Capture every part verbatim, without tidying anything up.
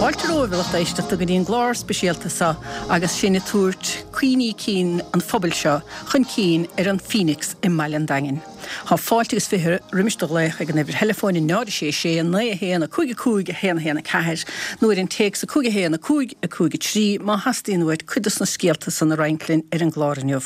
Fáilte romhaibh a lucht éisteachta go dtí an gclár speisialta seo agus sinn ag tabhairt cuimhní cinn an phobail seo chun cinn ar an Phoenix i mBaile an Daingin. Tá fáilte agus fiche roimis do ghlaoch ag an uimhir theileafóin náid sé sé naoi a haon a cúig a cúig a haon a haon a ceathair nó ar an téacs a cúig a haon a cúig a cúig a trí má theastaíonn uait cuid de na scéalta san a roinnt linn ar an gclár inniu.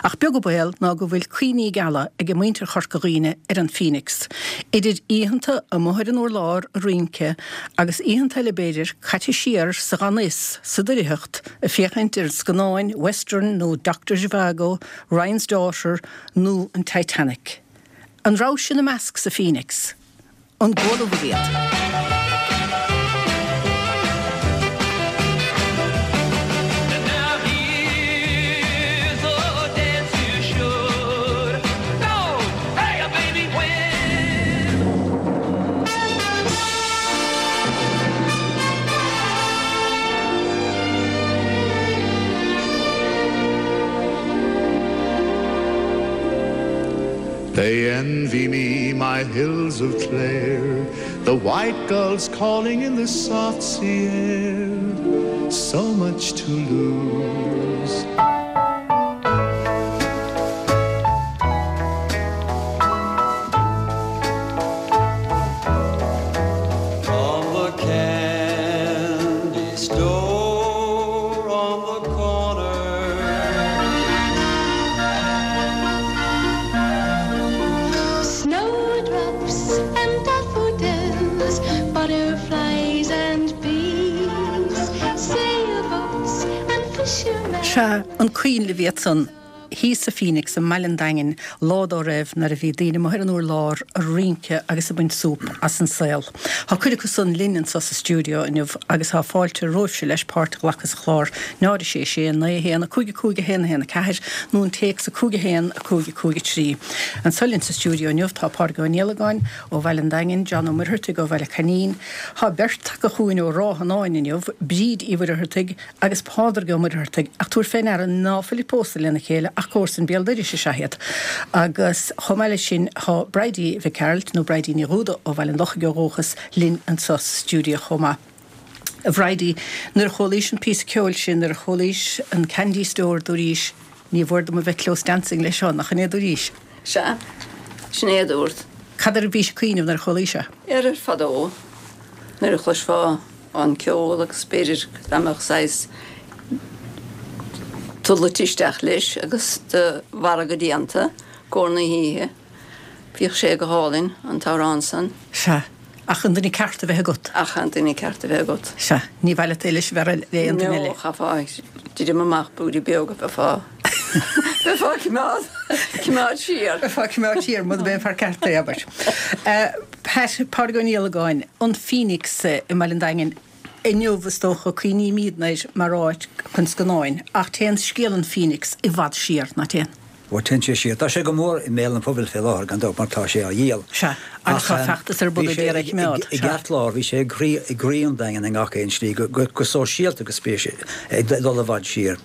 Ach beag an baol ná go bhfuil cuimhní geala ag muintir Chorca Dhuibhne ar an Phoenix. Idir oícheanta amuigh ar an urlár ag rince agus oícheanta eile b'fhéidir caite siar sa ghanfhios sa doircheacht ag féachaint ar scannáin Western nó Doctor Zhivago, Ryan's Daughter nó an Titanic. An raibh sin ina measc sa Phoenix, an gcuala iad. Now here's a dance you should know. Hey, baby, when They envy me my hills of Clare, the white gulls calling in the soft sea air. So much to lose. From the candy store on the corner. Snowdrops and daffodils, butterflies and bees, sailboats and fishermen. Sea an coinnle bhí san thíos sa Phoenix i mBaile an Daingin lá dá raibh nuair a bhí daoine amuigh ar an urlár ag rince agus ag baint súp as an saol. Tá cuid acu san linn anseo sa stiúideo inniu agus tá fáilte romhaibhse leis páirt a ghlacadh sa chlár náid sé sé naoi haon a cúig a cúig a haon a haon a ceathair nó an téacs a cúig a haon a cúig a cúig a trí. Anseo linn sa stiúideo inniu tá Pádraig Ó Niallagáin ó Bhaile an Daingin, John Ó Muircheartaigh ó Bhaile Coinín, Tá beirt acu chugainn ó Ráth Fhionáin inniu, Bríd Uí Mhuircheartaigh agus Pádraig Ó Muircheartaigh ach tabhair faoi ndeara ná fuil pósta lena chéile ach comharsain béal dorais is ea iad. Agus chomh maith leis sin tá Bridie Mhic Gearailt nó Bridie Ní Dhúda ó Bhaile an Lochaigh ó dhúchas linn anseo sa stiúideo chomh maith. A Bhridie, nuair a chualaís an píosa ceoil sin nuair a chualaís an Candy Store dúraís ní mhór dom a bheith close dancing leis seo nach in é dúraís. Sea, sin é dúirt. Cad air a bhís ag cuimhneamh nuair a chualaís é? Ar ar fadó nuair a chloisfeá an ceol agus b'fhéidir dá saghas tulut isteach leis agus do mhargadh déanta gcóir na hoíche. Bhíodh sé go hálainn an t-amhrán san. Sea, ach an duine ceart a bheith agat. Ach an duine ceart a bheith agat. Sea, ní bhile leis bheith le an duine eile. Chaithfeá titim amach búidí beoga bheifeá. Bheifeá coimeád coimeád siar. Bheifeá coimeád siar mura b'é an fear ceart é abair. Pat Pádraig Ó Niallagáin, an Phoenix i mBaile an Daingin, inniu is dócha cuimhnímid air mar áit chun scannáin, ach téann scéal an Phoenix i bhfad siar nach dtéann. Ó téann sé siar. Tá sé go mór i mbéal an phobail fé láthair gan dabht mar tá sé á dhíol. Sea, agus tá feachtas ar bun ag iarraidh é a choimeád. I gceartlár bhí sé i gcroí an Daingin i ngach aon slí go sóisialta go spéis ag dul i bhfad siar.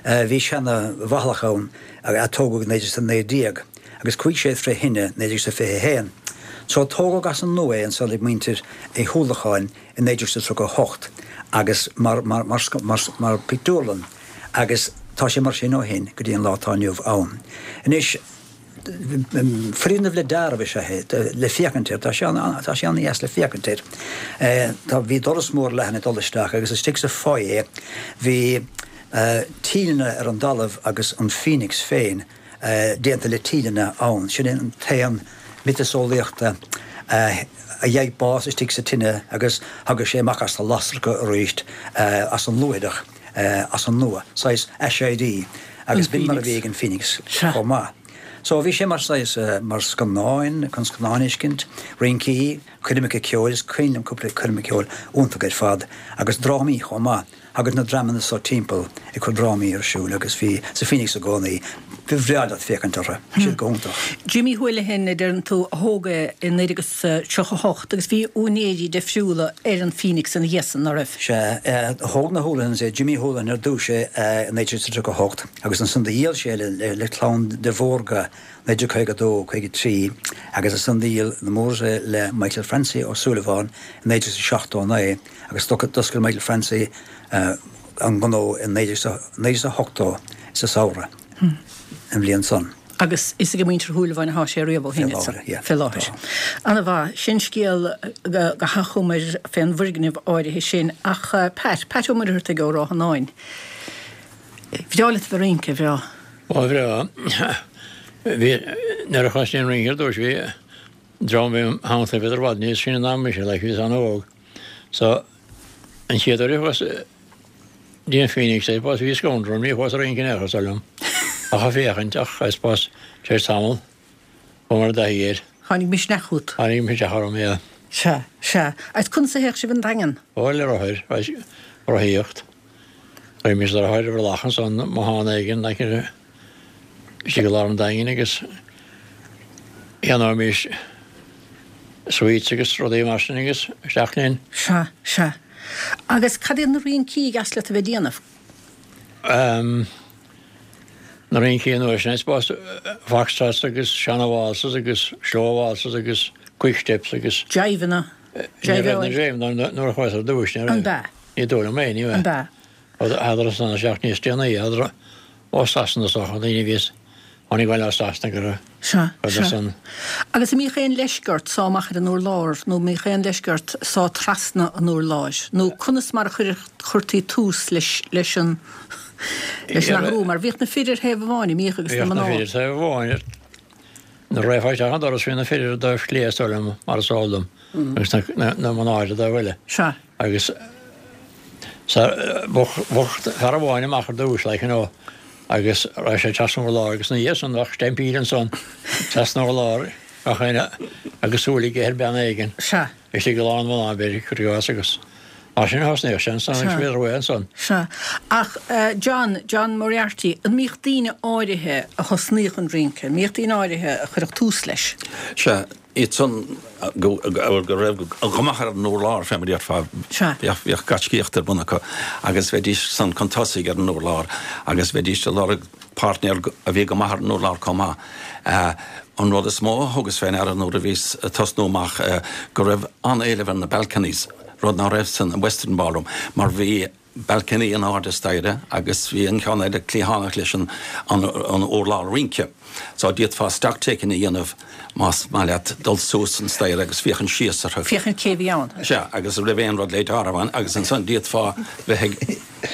Bhí seana bhathlach ann a tógadh naoi déag naoi déag agus chuaigh sé fré thine naoi déag fiche haon. So tógadh as an nua é ansan ag muintir Uí Uallacháin i naoi déag tríocha hocht agus mar, mar, mar, mar, mar pictiúrlann agus tá sé mar sin ó shin go dtí an lá atá inniu ann. Anois foirgneamh le dearadh is ea é le féachaint air, tá sé tá sé an-dheas le féachaint air. Tá bhí doras mór leathan ag dul isteach agus istigh sa foyer bhí tíleanna ar an dtalamh agus an Phoenix féin déanta le tíleanna ann. Sin an t-éan miotaseolaíochta a gheibh bás istigh sa tine agus thagadh sé amach as na lasracha arís as an luaithreach as an nua, saghas aiséirí agus b'in mar a bhí ag an Phoenix chomh maith. So bhí sé mar saghas mar scannáin chun scannáin a fheiscint, rincí, coirmeacha ceoil is cuimhin liom cúpla coirme ceoil iontach ar fad agus drámaí chomh maith. Agus na dreamanna so timpeall ag cur drámaí ar siúl agus bhí sa Phoenix i gcónaí. Ba bhreá leat féachaint orthu. Siad go hiontach. Jimmy Houlihan a deireann tú a thóg é i naoi déag agus tríocha a hocht agus bhí úinéirí difriúla ar an Phoenix ina dhiaidh san, ná raibh? Sea, thóg na Houlihan's é, Jimmy Houlihan ar dtús é i naoi déag tríocha a hocht agus ansan do dhíol sé le le clann de Mhórdha naoi déag caoga a dó, caoga a trí agus ansan do dhíol na Moores é le Michael Francie Ó Súilleabháin i naoi déag seachtó a naoi agus d'oscail Michael Francie an gnó i naoi déag ochtó sa samhradh an bhliain san. Agus is ag muintir Shúilleabháin atá sé riamh ó shin, fé láthair. Ana mhaith. Sin scéal go hachomair fén bhfoirgneamh áirithe sin. Ach Pat, Pat Ó Muircheartaigh ó Ráth Fhionáin. Bhreá leat a bheith ag rince, ar bhreá? Ba bhreá. Bhí, nuair a thosnaigh an rince ar dtús, bhí dream im theannta, bhíodar i bhfad níos sine ná mise, like, bhíos an-óg. So, An chéad uair a chuas dtí an Phoenix, I suppose, bhí scanradh orm, ní chuas ag rince in aon chor, is dóigh liom, ach ag féachaint, ach I suppose, tar éis tamaill, chuamar i dtaithí air. Tháinig misneach chugat. Tháinig misneach orm, yeah. Sea, sea. Agus conas a théadh sibh 'on Daingean? Ó, le rothair, rothaíocht. Raghaimís le rothair ar mhullach ansan, bothán éigin, like, istigh i lár an Daingin agus cheannóimís sweets agus rudaí mar sin agus isteach linn. Sea, sea. Agus cad iad na rincí a dheas leat a bheith ag déanamh? Ehm, na rincí an uair sin, I suppose, foxtrots agus seana-waltzes agus slow waltzes agus quick steps agus. Jiveanna. Ní raibh na jiveanna nuair a chuas ar dtúis, ní raibh. An b'ea? Ní dóigh liom é, ní raibh. An b'ea? Thádar san isteach níos déanaí, thádar ó Sasana is dócha, daoine a bhíos tháinig abhaile ó Sasana go raibh Sea, agus sea. an. Agus an mbíodh aon leisce ort sá amach ar an urlár nó an mbíodh aon leisce ort sá trasna an urláir nó conas mar a chuireadh, chuirtí tús leis, leis an, leis an athrú mar bhíodh na fir ar thaobh amháin, an mbíodh agus na Bhíodh na mná. fir ar thaobh amháin. Nuair a raghfá isteach an doras bhí na fir ar an dtaobh clé is dóigh liom mar is eol dom agus na, na, na mná ar an dtaobh eile. Sea. Agus sa, bheadh, bheadh fear amháin amach ar dtús like you know agus raghadh sé trasna an urláir agus ina dhiaidh san bheadh stampede ansan trasna an urláir gach éinne agus súil aige ar bean éigin Sea. istigh i lár na mná b'fhéidir cuir i gcás agus mar sin a thosnaíodh sé ansan agus Sea. bhíodar uaidh ansan. Sea. Ach eh, John, John Moriarty, an mbíodh daoine áirithe a thosnaíodh an rince, an mbíodh daoine áirithe a chuirfeadh tús leis? Sea, iad san go raibh go maith ar an urlár fé mar a déarfá. Sea. Bhíodh bhíodh gaiscíocht ar bun acu agus bheidís san chun tosaigh ar an urlár agus bheidís ag lorg páirtnéir a bhí go maith ar an urlár chomh maith. An rud is mó a thugas fé ndeara nuair a bhíos ag tosnú amach go raibh an-éileamh ar na balconies, rud ná raibh san Western Ballroom mar bhí balcony in airde staighre agus bhí an ceann eile cliathánach leis an an urlár rince. So d'fhéadfá stocktaking a dhéanamh más maith leat dul suas an staighre agus féachaint síos orthu. Féachaint cé bhí ann. Sea, agus an raibh aon rud le deáramh ann agus ansan d'fhéadfá bheith ag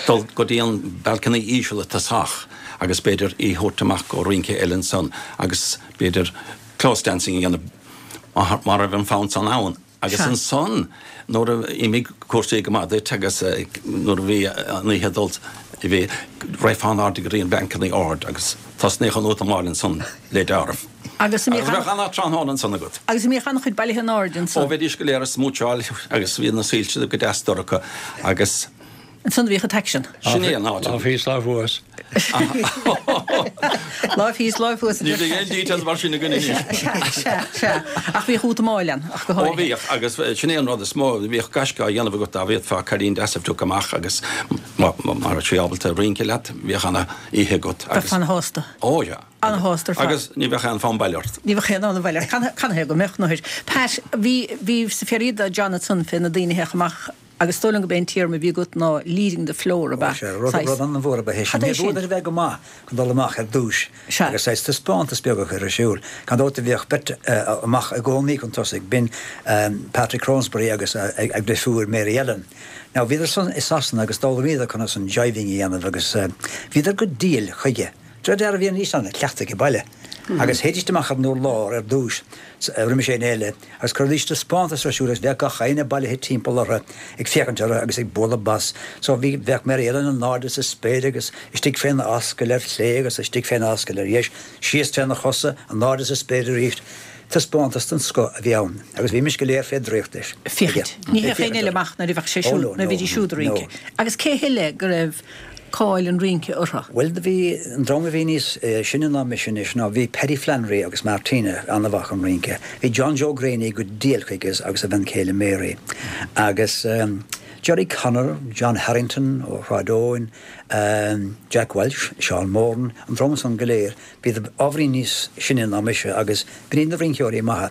dul go dtí an balcony íseal i dtosach agus b'fhéidir í thabhairt amach go rince eile ansan agus b'fhéidir close dancing a dhéanamh má raibh an fonn san ann. Agus ansan nuair a imigh cúrsaí go maith duit agus nuair a bhí an oíche ag dul, bhí raghfá in airde go dtí an balcony ard agus tosnaíodh an útamáil ansan le deáramh. Agus an Agus mbíodh bheadh an-tráthnóna ansan agat. Agus an mbíodh an-chuid bailithe in airde Ó ansan? bheidís go léir ag smúitseáil agus bhí na soilse go deas dorcha agus. Ansan a bhíodh an t-aicsean. Sin é an áit. Lámh thíos, lámh thuas. Lámh thíos, lámh thuas. Ní bheidh aon details mar sin againn anois. Sea, sea, sea. Ach bhíodh útamáil ann, ach go Ó háirithe. bhíodh, agus sin é an rud is mó, bhíodh gaisce á dhéanamh agat dá bhféadfá cailín deas a phiocadh amach agus má raibh sí ábalta rince leat, bhíodh ana-oíche agat agus. Bheifeá ana-shásta. Ó yeah. Ana-shásta ar fad. Agus ní bheadh aon fonn baile ort. Ní bheadh aon fhonn abhaile ort. Canathaobh go mbeadh, nuair. Pat, bhí, bhí sa Ferida Jonathan fé na daoine a théadh amach Agus is dóigh liom go b'é an téarma a bhí agat ná leading the floor, ab ea? Ó sea, rud, rud an-mhór ab ea é sin. Cad é Ní sin? b'fhuath duit a bheith go maith chun dul amach ar dtúis Sea. agus saghas taispeántas beag a chur ar siúl. Gan dabht bhíodh beirt amach i gcónaí chun tosaigh, b'in Patrick Cronsberry agus a dheirfiúr Mary Ellen. Now bhíodar san i Sasana agus d'fhoghlaimíodar conas an jiving a dhéanamh agus bhíodar go diail chuige. De réir dealraimh bhí an fhís ann, cleachtadh ag baile. Agus théidís amach ar an urlár ar dtúis, roimis éinne eile, agus chuiridís taispeántas ar siúl agus bheadh gach éinne bailithe timpeall orthu ag féachaint orthu agus ag bualadh bos. So bhí, bheadh Mary Ellen in airde sa spéir agus istigh féna ascaill ar chlé agus istigh féna ascaill ar dheis, síos tréna chosa, in airde sa spéir arís. Taispeántas den scoth a bhí ann agus bhímis go léir fé dhraíocht leis. Féachaint. Ní théadh éinne eile amach nuair a bheadh sé siúd, nuair a bhídís siúd ag rince. Agus cé heile go raibh cáil an rince orthu? Bhuel, do bhí, an dream a bhí níos sine ná mise anois ná bhí Paddy Flannery agus Martina an-mhaith chun rince. Bhí John Joe Greaney go diail chuige agus a bhean chéile Mary. Agus Gerry Connor, John Harrington ó Shráid Eoin, Jack Walsh, Seán Moran, an dream san go léir, bhíodar ábhairín níos sine ná mise agus b'in iad na rinceoirí maithe.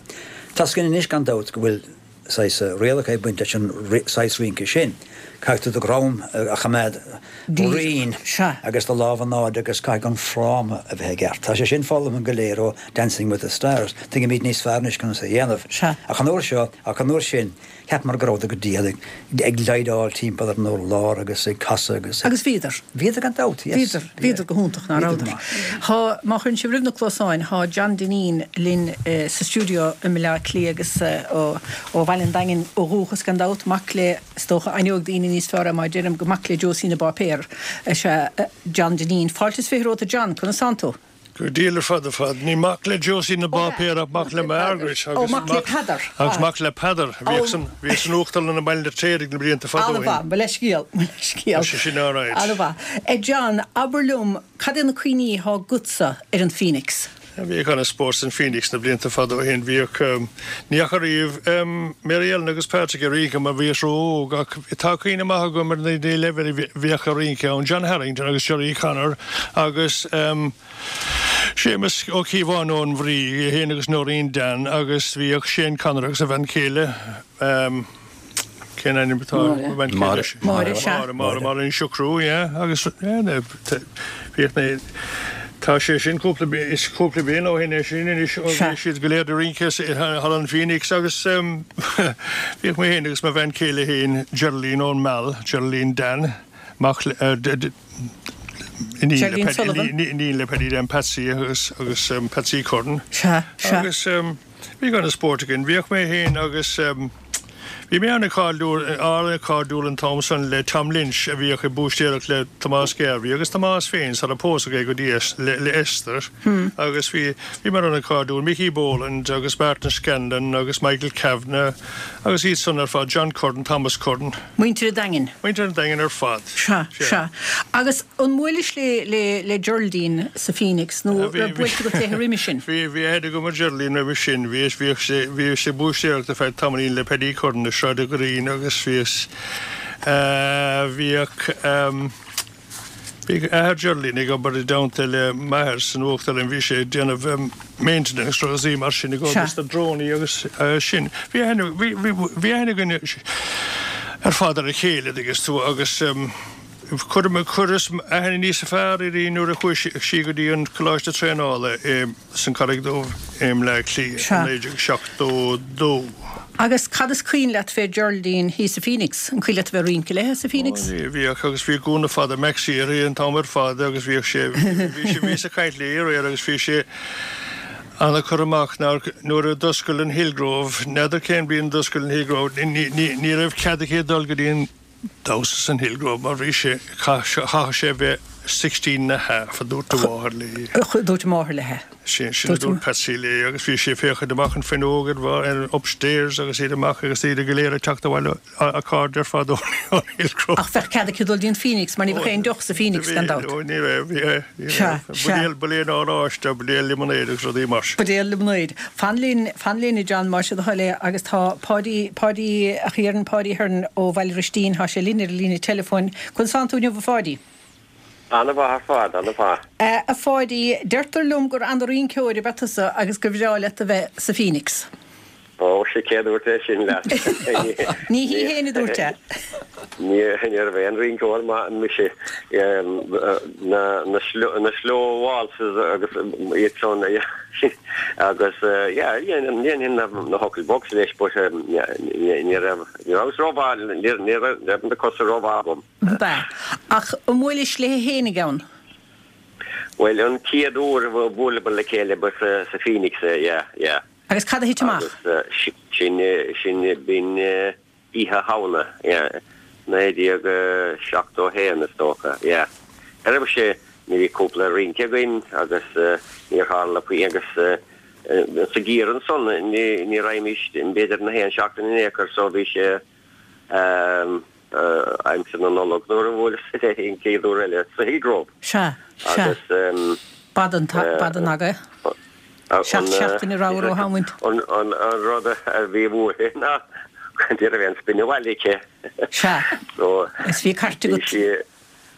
Tá's againn anois gan dabht go bhfuil saghas rialacha ag baint leis an saghas rince sin. Caithfidh tú do dhroim a choimeád righin agus do lámha in airde agus caithfidh an fráma a bheith i gceart. Tá sé sin foghlamtha go léir ó Dancing with the Stars. Tuigimid níos fearr anois conas é a dhéanamh. Ach an uair seo, ach an uair sin, Cheapamar go rabhadar go diail ag leidhleáil timpeall ar an urlár agus ag casadh agus. Agus bhíodar. Bhíodar gan dabht, yes. Bhíodar, bhíodar go hiontach, ná rabhadar. Thá, má chuireann sibh roimh na cluasáin, thá John Dineen linn sa stiúideo i mBaile Átha Cliath agus ó ó Bhaile an Daingin ó dhúchas gan dabht, mac le, is dócha, aithneoidh daoine níos fearr é má deirim gur mac le Josie na bPáipéar is ea John Dineen. Fáilte is fiche romhat a John, conas tánn tú? Go diail ar fad ar fad. Ní mac le Josie na bPáipéar ach mac le Margaret agus mac le Peadar. Agus mac le Peadar a bhíodh san bhíodh san uachtarlann i mBaile an Fheirtéaraigh na blianta fada ó shin. An-mhaith, mo leithscéal, mo leithscéal. Tá sé sin alright. An-mhaith. A John, abair liom, cad é na cuimhní atá agatsa ar an Phoenix? Bhíodh an-spórt san Phoenix na blianta fada ó shin. Bhíodh, ní fhaca riamh Mary Ellen agus Patrick ag rince mar bhíos ró-óg ach tá cuimhne maith agam ar na daoine eile a bhíodh ag rince ann, John Harrington agus Gerry Connor agus Séamus Ó Cíobháin ón Bhrí, é féin agus Noreen Dan agus bhíodh Shane Connor agus a bhean chéile, Cén ainm atá ar a bhean chéile? Máire. Máire, sea. Máire, Máire, Máire Ní Siochrú, yeah. Agus bhíodh na, tá sé sin cúpla, is cúpla bliain ó shin é sin anois, ó bhí siad go léir ag rince thall an Phoenix agus bhíodh mé féin agus mo bhean chéile féin, Geraldine ón Meal, Geraldine Dan, mac le, Geraldine Sullivan. iníon le Paddy Dan Patsy agus agus Patsy Curran. Sea, sea. Agus bhíodh an-spórt againn. Bhíodh mé féin agus bhí mé an-chairdiúil, an-chairdiúil an t-am san le Tom Lynch a bhíodh ag búistéireacht le Tomás Garvey agus Tomás féin sara pósadh é go dtí le, le Esther agus bhí, bhíomar an-chairdiúil, Mickey Boland agus Martin Scanlon agus Michael Kavanagh agus iad san ar fad, John Curran, Thomas Curran. Muintir an Daingin. Muintir an Daingin ar fad. Sea, sea. Agus an mbuailis le, le, le Geraldine sa Phoenix nó raibh buailte agat léi roimhe sin? Bhí, bhí aithne agam ar Geraldine roimhe sin. Bhí, bhíodh sé, bhíodh sí ag búistéireacht ar feadh tamaillín le Paddy Curran i Sráid an Ghreen agus bhíos, bhíodh, bhíodh athair Geraldine ag obair i dteannta le m'athair san uachtarlann, bhí sé ag déanamh maintenance rudaí mar sin ag obair sna drónaí agus sin. Bhí aithne, bhí, bhí, bhí aithne againn ar fad ar a chéile, dtuigeann tú, agus chuir, chuireas aithne níos fearr uirthi nuair a chuaigh sí go dtí an Coláiste Traenála i, san Charraig Dhubh i mBleá Cliath i naoi déag seachtó dó. Agus cad is cuimhin leat fé Geraldine thíos sa Phoenix? An cuimhin leat a bheith ag rince léi sa Phoenix? Ó, bhíodh, agus bhí gúna fada maxi uirthi an t-am ar fad agus bhíodh sé, bhí sé, bhíos ag caint léi aréir agus bhí sé ana-chur amach nár, nuair a d'oscail an Hillgrove, n'fheadar cén bliain a d'oscail an Hillgrove, ní, ní, ní raibh cead aici dul go dtí an damhsa san Hillgrove mar bhí sé, chaithfeadh sé a bheith sixteen and a half, a dúirt a mháthair léi. Dúirt a máthair léi. Sin, sin a dúirt Patsy léi agus bhí sí ag féachaint amach an fuinneog ar, ar upstairs agus iad amach agus iad go léir ag teacht abhaile, a cairde ar fad ón Hillgrove. Ach bheadh cead aici dul dtí an Phoenix mar ní bheadh aon deoch sa Phoenix gan dabht. Ní raibh, ní raibh, ní raibh. Sea, sea. Buidéal oráiste, buidéal líomanáide agus rudaí mar sin. Buidéal líomanáide. Fan linn, fan linn a John, más é do thoil é agus tá Páidí, Páidí a Chiaráin, Páidí Ahern ó Bhaile Bhristín, tá sé linn ar an líne teileafóin. Conas tánn tú inniu a Pháidí? Ana-mhaith ar fad, ana-mhaith. A Pháidí, deirtear liom gur ana-rinceoir ab ea tusa agus gur bhreá leat a bheith sa Phoenix. Ó, sea, cé a dúirt é sin leat? Ní hí féin a dúirt é. Ní níorbh aon rinceoir maith mise. Na na slow waltzes agus iad san agus yeah, dhéanfainn na knuckle bucks leis but ní raibh ní rabhas rómhaith, ní raibh na cosa rómhaith agam. Ba. Ach an mbuailis léi fhéinig ann? Bhuel, an chéad uair a bhuaileamar le chéile ba sa Phoenix é, yeah, yeah. Agus cad a thit amach? Agus sin, sin, b'in Oíche Shamhna, yeah, naoi déag seachtó a haon is dócha, yeah. Ar raibh sé, bhí cúpla rince againn agus níor tharla puinn agus Sa gheimhreadh ansan ní ní raghaimís b'fhéidir na haon seachtain in aon chor so bhí sé aimsir na Nollag nuair a bhuaileas léi an chéad uair eile sa Hillgrove. Sea, sea. Agus B'fhada an b'fhada an aga. Seacht seachtaine rogha róshamhaint. An an rud a bhí uaithi ná ní raibh aon spin abhaile aici. Sea. So Is bhí cairt bhí agat. sí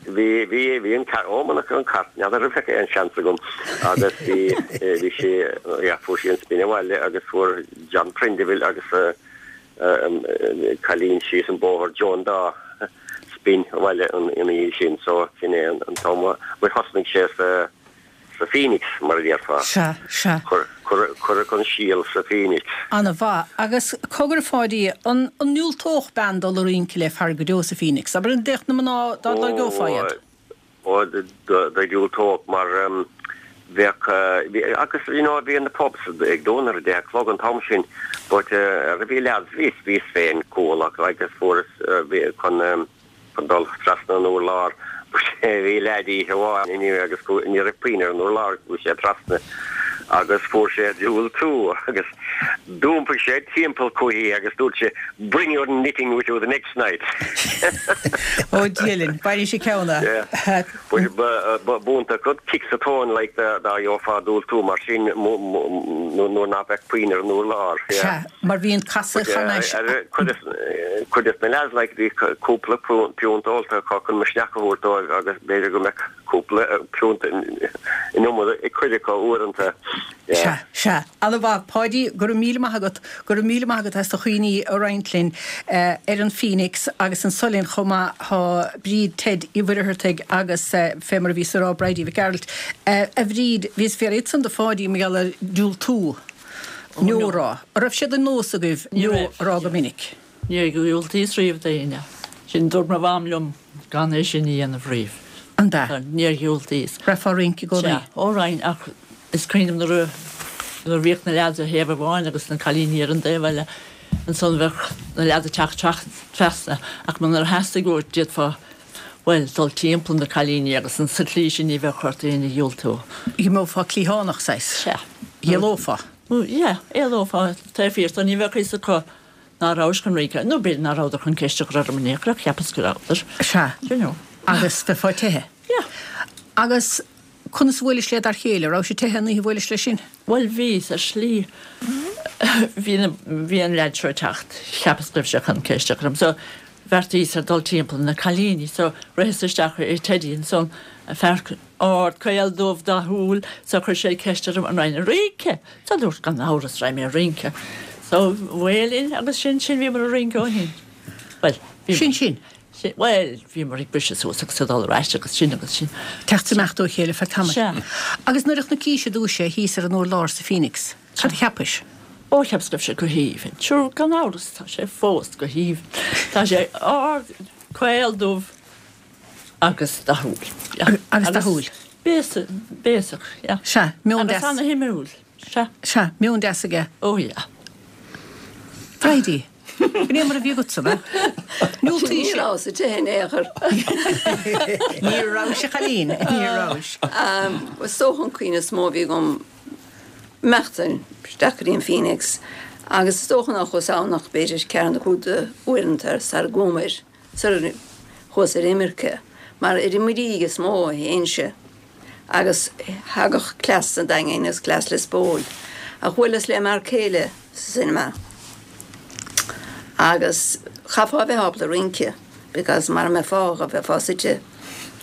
Bhí, bhí, bhí an cairt, ó munach an cairt, n'fheadar an bheadh aon seans agam agus bhí, bhí sí, yeah, fuair sí an spin abhaile agus fuair John Prendiville agus cailín síos an bóthar, Joan Dawe, spin abhaile ina dhiaidh sin so sin é an t-am a, bhuel thosnaigh sé sa, sa Phoenix, mar a déarfá. Sea, sea. Cuireadh an síol sa Phoenix. Ana-mhaith. Agus cogar a Pháidí, an ndiúltódh bean dul a rince le fear go deo sa Phoenix? Abair an dtéadh na mná dá lorgófá iad? Ó, diúltódh mar bheadh, agus you know bhí na pubs ag dúnadh ar a deich a chlog an t-am sin but bhí lads, bhíos, bhíos féin cúthalach agus fuaireas, bhí chun, chun dul trasna an urlár. Bhí leaid oíche amháin inniu agus ní raibh puinn ar an urlár, chuaigh sé trasna agus fuair sé diúltú agus d'iompaigh sé timpeall chuici agus dúirt sé Bring your knitting with you the next night. Ó Dia linn, bainfidh sé ceann Yeah. B'iontach rud kick sa tóin like dá gheofá diúltú mar sin nuair ná beadh puinn ar an urlár. Sea, mar bhí an casadh thar n-ais. Cuid des na lads like bhí cúpla piúnt ólta acu chun misneach a thabhairt dóibh agus b'fhéidir go mbeadh cúpla piúnt in iomad ag cuid acu uaireanta. Sea, sea. Ana-mhaith. Páidí, go raibh míle maith agat. Go raibh míle maith agat as do chuimhní a roinnt linn ar an Phoenix agus anso linn chomh maith tá Bríd Ted Uí Mhuircheartaigh agus fé mar a bhíos a rá Bridie Mhic Gearailt. A Bhríd, bhíos ag fiafraí ansan de Pháidí mar gheall ar diúltú. No a rá. An raibh sé de nós agaibh no a rá go minic? Níor dhiúltaíos riamh d'éinne. Sin, dúirt mo mham liom gan é sin a dhéanamh riamh. An ea? Níor dhiúltaíos. Raghfá ag rince i gcónaí? Sea, ó raghainn ach is cuimhin liom nuair a nuair a bhíodh na leaids ar thaobh amháin agus na cailíní ar an dtaobh eile, ansan bheadh na leaids ag teacht trasna ach munar theastaigh uait d'fhéadfá, bhuel, dul timpeall na cailíní agus an sa tslí sin ní bheadh ort éinne a dhiúltú. Dh'imeofá cliathánach, saghas. Sea. D'éalófá. Yeah, éalófá taobh thiar so ní bheadh fhios acu ná rabhais chun rince, nó b'fhéidir ná rabhadar chun ceist a chur orm in aon chor ach cheapas go rabhadar. Sea. You know. Agus bheifeá teichthe. Yeah. Agus conas a bhuailis le dar chéile? Raibh sé teichthe an oíche a bhuailis leis sin? Bhuel bhíos, ar shlí. Bhí na, bhí an leaid seo ag teacht, cheapas go raibh sé chun ceist a chur orm. So bheartaíos ar dul timpeall na cailíní. So ritheas isteach i Teddy ansan, fear ard, caol, dubh, dathúil, so chuir sé ceist orm an raghainn a rince. So dúrt gan amhras raghaidh mé a rince. So bhuel linn agus sin sin bhíomar a rince ó shin. Bhuel, bhíomar. Sin sin. Sin, bhuel, bhíomar ag briseadh suas agus ag dul ar ais agus sin agus sin. Teacht is imeacht ó chéile feadh tamaill. Sea. Agus nuair a chonaicís i dtús é thíos ar an urlár sa Phoenix, cad a cheapais? Ó, cheapas go raibh sé go haoibhinn. Sure, gan amhras, tá sé fós go haoibhinn. Tá sé ard, caol, dubh agus dathúil. Yeah. Agus dathúil. Béasach, béasach, yeah. Sea, meon deas. Agus ana-shuimiúil. Sea. Sea, meon deas aige. Ó yeah. Bridie, B'in é mar a bhí agatsa, ab ea? Ní Ní rabhas te in aon chor. Ní rabhais a chailín, ní rabhais. Is dócha an cuimhne is mó a bhí agam imeacht isteach go dtí an Phoenix agus is dócha nár chuas ann ach b'fhéidir ceathair nó cúig d'uaireanta sara gcuamair, sara chuas ar imirce, mar ar an Muirígh is mó a théinnse. Agus thagadh cleas an Daingin agus cleas Lios Póil. Ach bhuaileas le m'fhear céile sa cinema agus chaithfeá a bheith ábalta rince because mara mbeifeá bheifeá suite.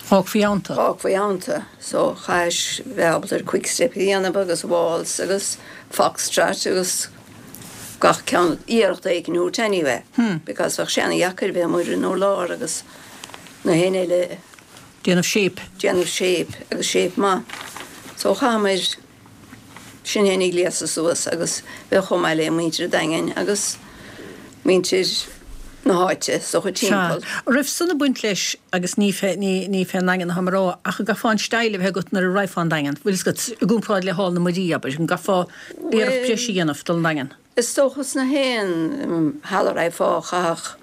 Fágfaí ann tú. Fágfaí ann tú. So chaithis bheith ábalta ar quick step a dhéanamh agus waltz agus foxtrot agus gach ceann iarracht éigin a thabhairt anyway because bheadh sé ana-dheacair bheith amuigh ar an urlár agus na héinne eile Déanamh shape. Déanamh shape agus shape maith. So chaitheamair sinn féin ag gléasadh suas agus bheith chomh maith le muintir an Daingin agus muintir na háite is dócha Sea. timpeall. Raibh san ag baint leis agus ní fé, ní, ní fén nDaingean atáim a rá ach an gcaithfeá an style a bheith agat nuair a raghfá an Daingean, bhfuil fhios agat, i gcomparáid le Hall na Muirí, abair, an gcaithfeá iarracht Bhuel, breise a dhéanamh dul an Daingean? is dócha sna haon halla a raghfá chaithfeadh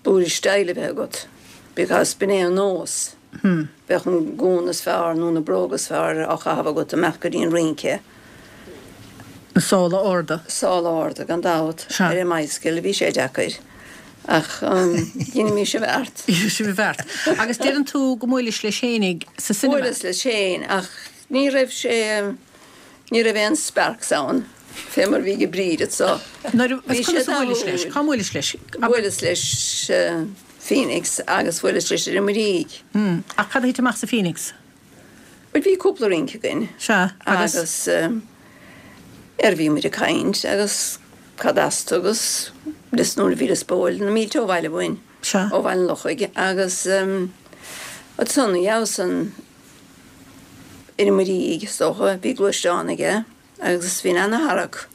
blúire style a bheith agat. Because b'in é an nós. Bheadh an gúna is fearr nó na bróga is fearr á chaitheamh agat amach go dtí an rince. Na sála arda. Sála arda, gan dabht. Sea. Ar an mbicycle, bhí sé deacair. Ach dheinis an bheart. Dheinis an bheart. Agus deireann tú go mbuailis leis fhéinig sa cinema? Bhuaileas leis féin, ach ní raibh sé, ní raibh aon sparks ann, fé mar bhí ag Bríd so. Nuair, Bhí conas sé a bhuailis leis? dathúil. Cá mbuailis leis? Bhuaileas leis Phoenix agus bhuaileas leis ar an Muirígh. Hmm. Ach cad a thit amach sa Phoenix? Bhuel bhí cúpla rince againn. Sea, agus? Agus ar bhí muid ag caint agus cad as tú agus Lios Nua bhí Lios Póil na mílte ó bhaile uainn. Sea. Ó Bhaile an Lochaigh agus ansan gheabhas an ar an Muirígh is dócha, bhí gluaisteán aige agus bhí ana-tharrac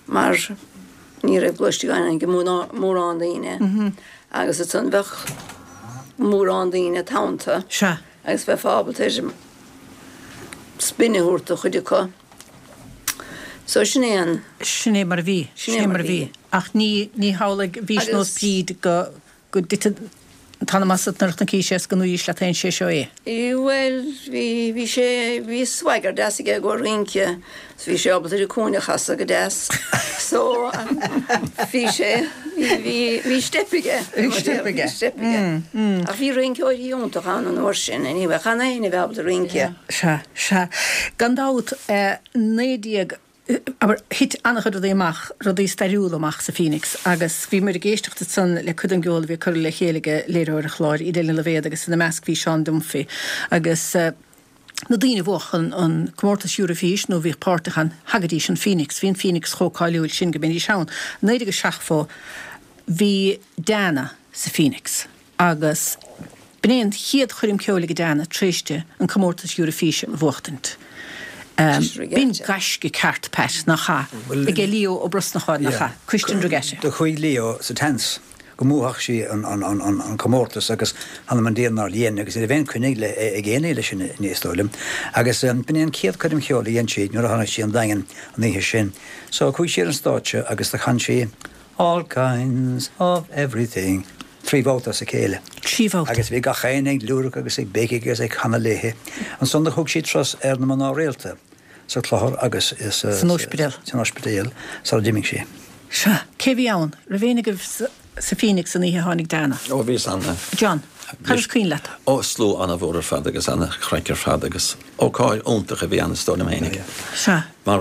mar ní raibh gluaisteáin ag mórán daoine agus ansan bheadh mórán daoine teannta. Sea. Agus bheifeá ábalta spin a thabhairt do chuid acu. So sin é an. Sin é mar a bhí. Sin é mar a bhí. Ach ní, ní hamhlaidh, bhís nós Bríd go, go dtiteadh an t-anam asat nuair a chonaicis é is go ndúiris leat féin sé seo é. Bhuel, bhí, bhí sé, bhí swagger deas aige i gcomhair rince, so bhí sé ábalta ar an cúinne a chasadh go deas. So, bhí sé, bhí, bhí, bhí steip aige. Bhí steip aige. Bhí steip aige. Ach bhí rinceoirí iontach ann an uair sin, anyway, chan éinne a bheith ábalta rince. Sea, sea. Gan dabht, naoi déag, abair, thit an-chuid rudaí amach, rudaí stairiúla amach sa Phoenix agus bhí muid ag éisteacht ansan le cuid den gceol a bhí curtha le chéile ag léiritheoir an chláir, Edel Ní Loibhéad agus ina measc bhí Seán Dunphy agus na daoine a bhuach an, an comórtas Eurofís nó bhíodh páirteach ann, thagaidís an Phoenix, bhí an Phoenix chomh cáiliúil sin go mbeidís ann. Naoi déag a seachtó bhí Dana sa Phoenix agus b'in é an chéad choirm ceoil ag Dana tar éis di an comórtas Eurofíse a bhuachtaint. B'in gaisce ceart, Pat, nach ea? Ag Leo Ó Brosnacháin, nach ea? Cuistin Regatta. Do chuaigh Leo sa tseans go mbuafadh sí an comórtas agus th'anam 'on dia nár dhein agus ní raibh aon coinne ag éinne leis sin is dóigh liom. Agus b'in é an chéad choirm cheoil a dhein sí nuair a tháinig sí an Daingean an oíche sin. So chuaigh sí ar an stáitse agus do chan sí All kinds of everything trí bhabhta as a chéile. Trí bhabhta. Agus bhí gach éinne ag liúradh agus ag béicigh agus ag canadh léi. Ansan do thug sí turas ar na mná rialta sa Chlochar agus san ospidéal. San ospidéal sara d'imigh sí. Sea. Cé bhí ann? Raibh éinne agaibh sa Phoenix an oíche a tháinig Dana? Ó, bhíos ann. John, cad is cuimhin leat? Ó, slua an-mhór ar fad agus an-chraic ar fad agus ócáid iontach a bhí ann is dóigh liom fhéinig. Sea. Mar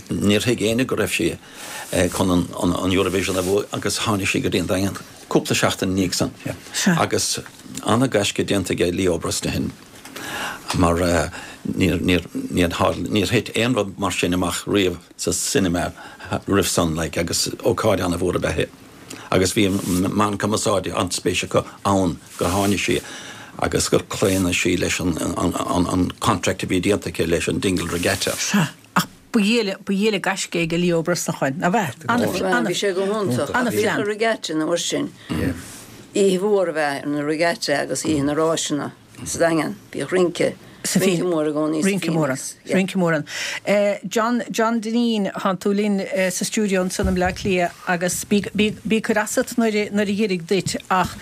níor thuig éinne go raibh sí chun an Eurovision a bhuaidh agus tháinig sí go dtí an Daingean cúpla seachtain ina dhiaidh san. Sea. Agus an-ghaisce déanta aige Leo Brosnahan mar níor, níor, níor tharla, níor thit aon rud mar sin amach riamh sa cinema roimh san like agus ócáid an-mhór ab ea é. Agus bhí an meán cumarsáide an-spéis acu ann gur tháinig sí agus gur chlaon sí leis an, an, an, an contract a bhí déanta aici leis an Dingle Regatta. Sea. Ach ba dhíol, ba dhíol gaisce ag Leo Brosnacháin, nach ea? Ana, bhí sé go hiontach. Ana-phlean. Bhíodh an regatta an uair sin. Oíche mhór a bheith ar na regatta agus oíche na ráiseanna sa Daingean. Bhíodh rince, rince mór i gcónaí sa Rince mór ann. Rince mór ann. John, John Dineen, thánn tú linn sa stiúideo ansan i mBleá Cliath agus bí, bí, bí cur asat nuair, nuair a dh'iarraidh duit ach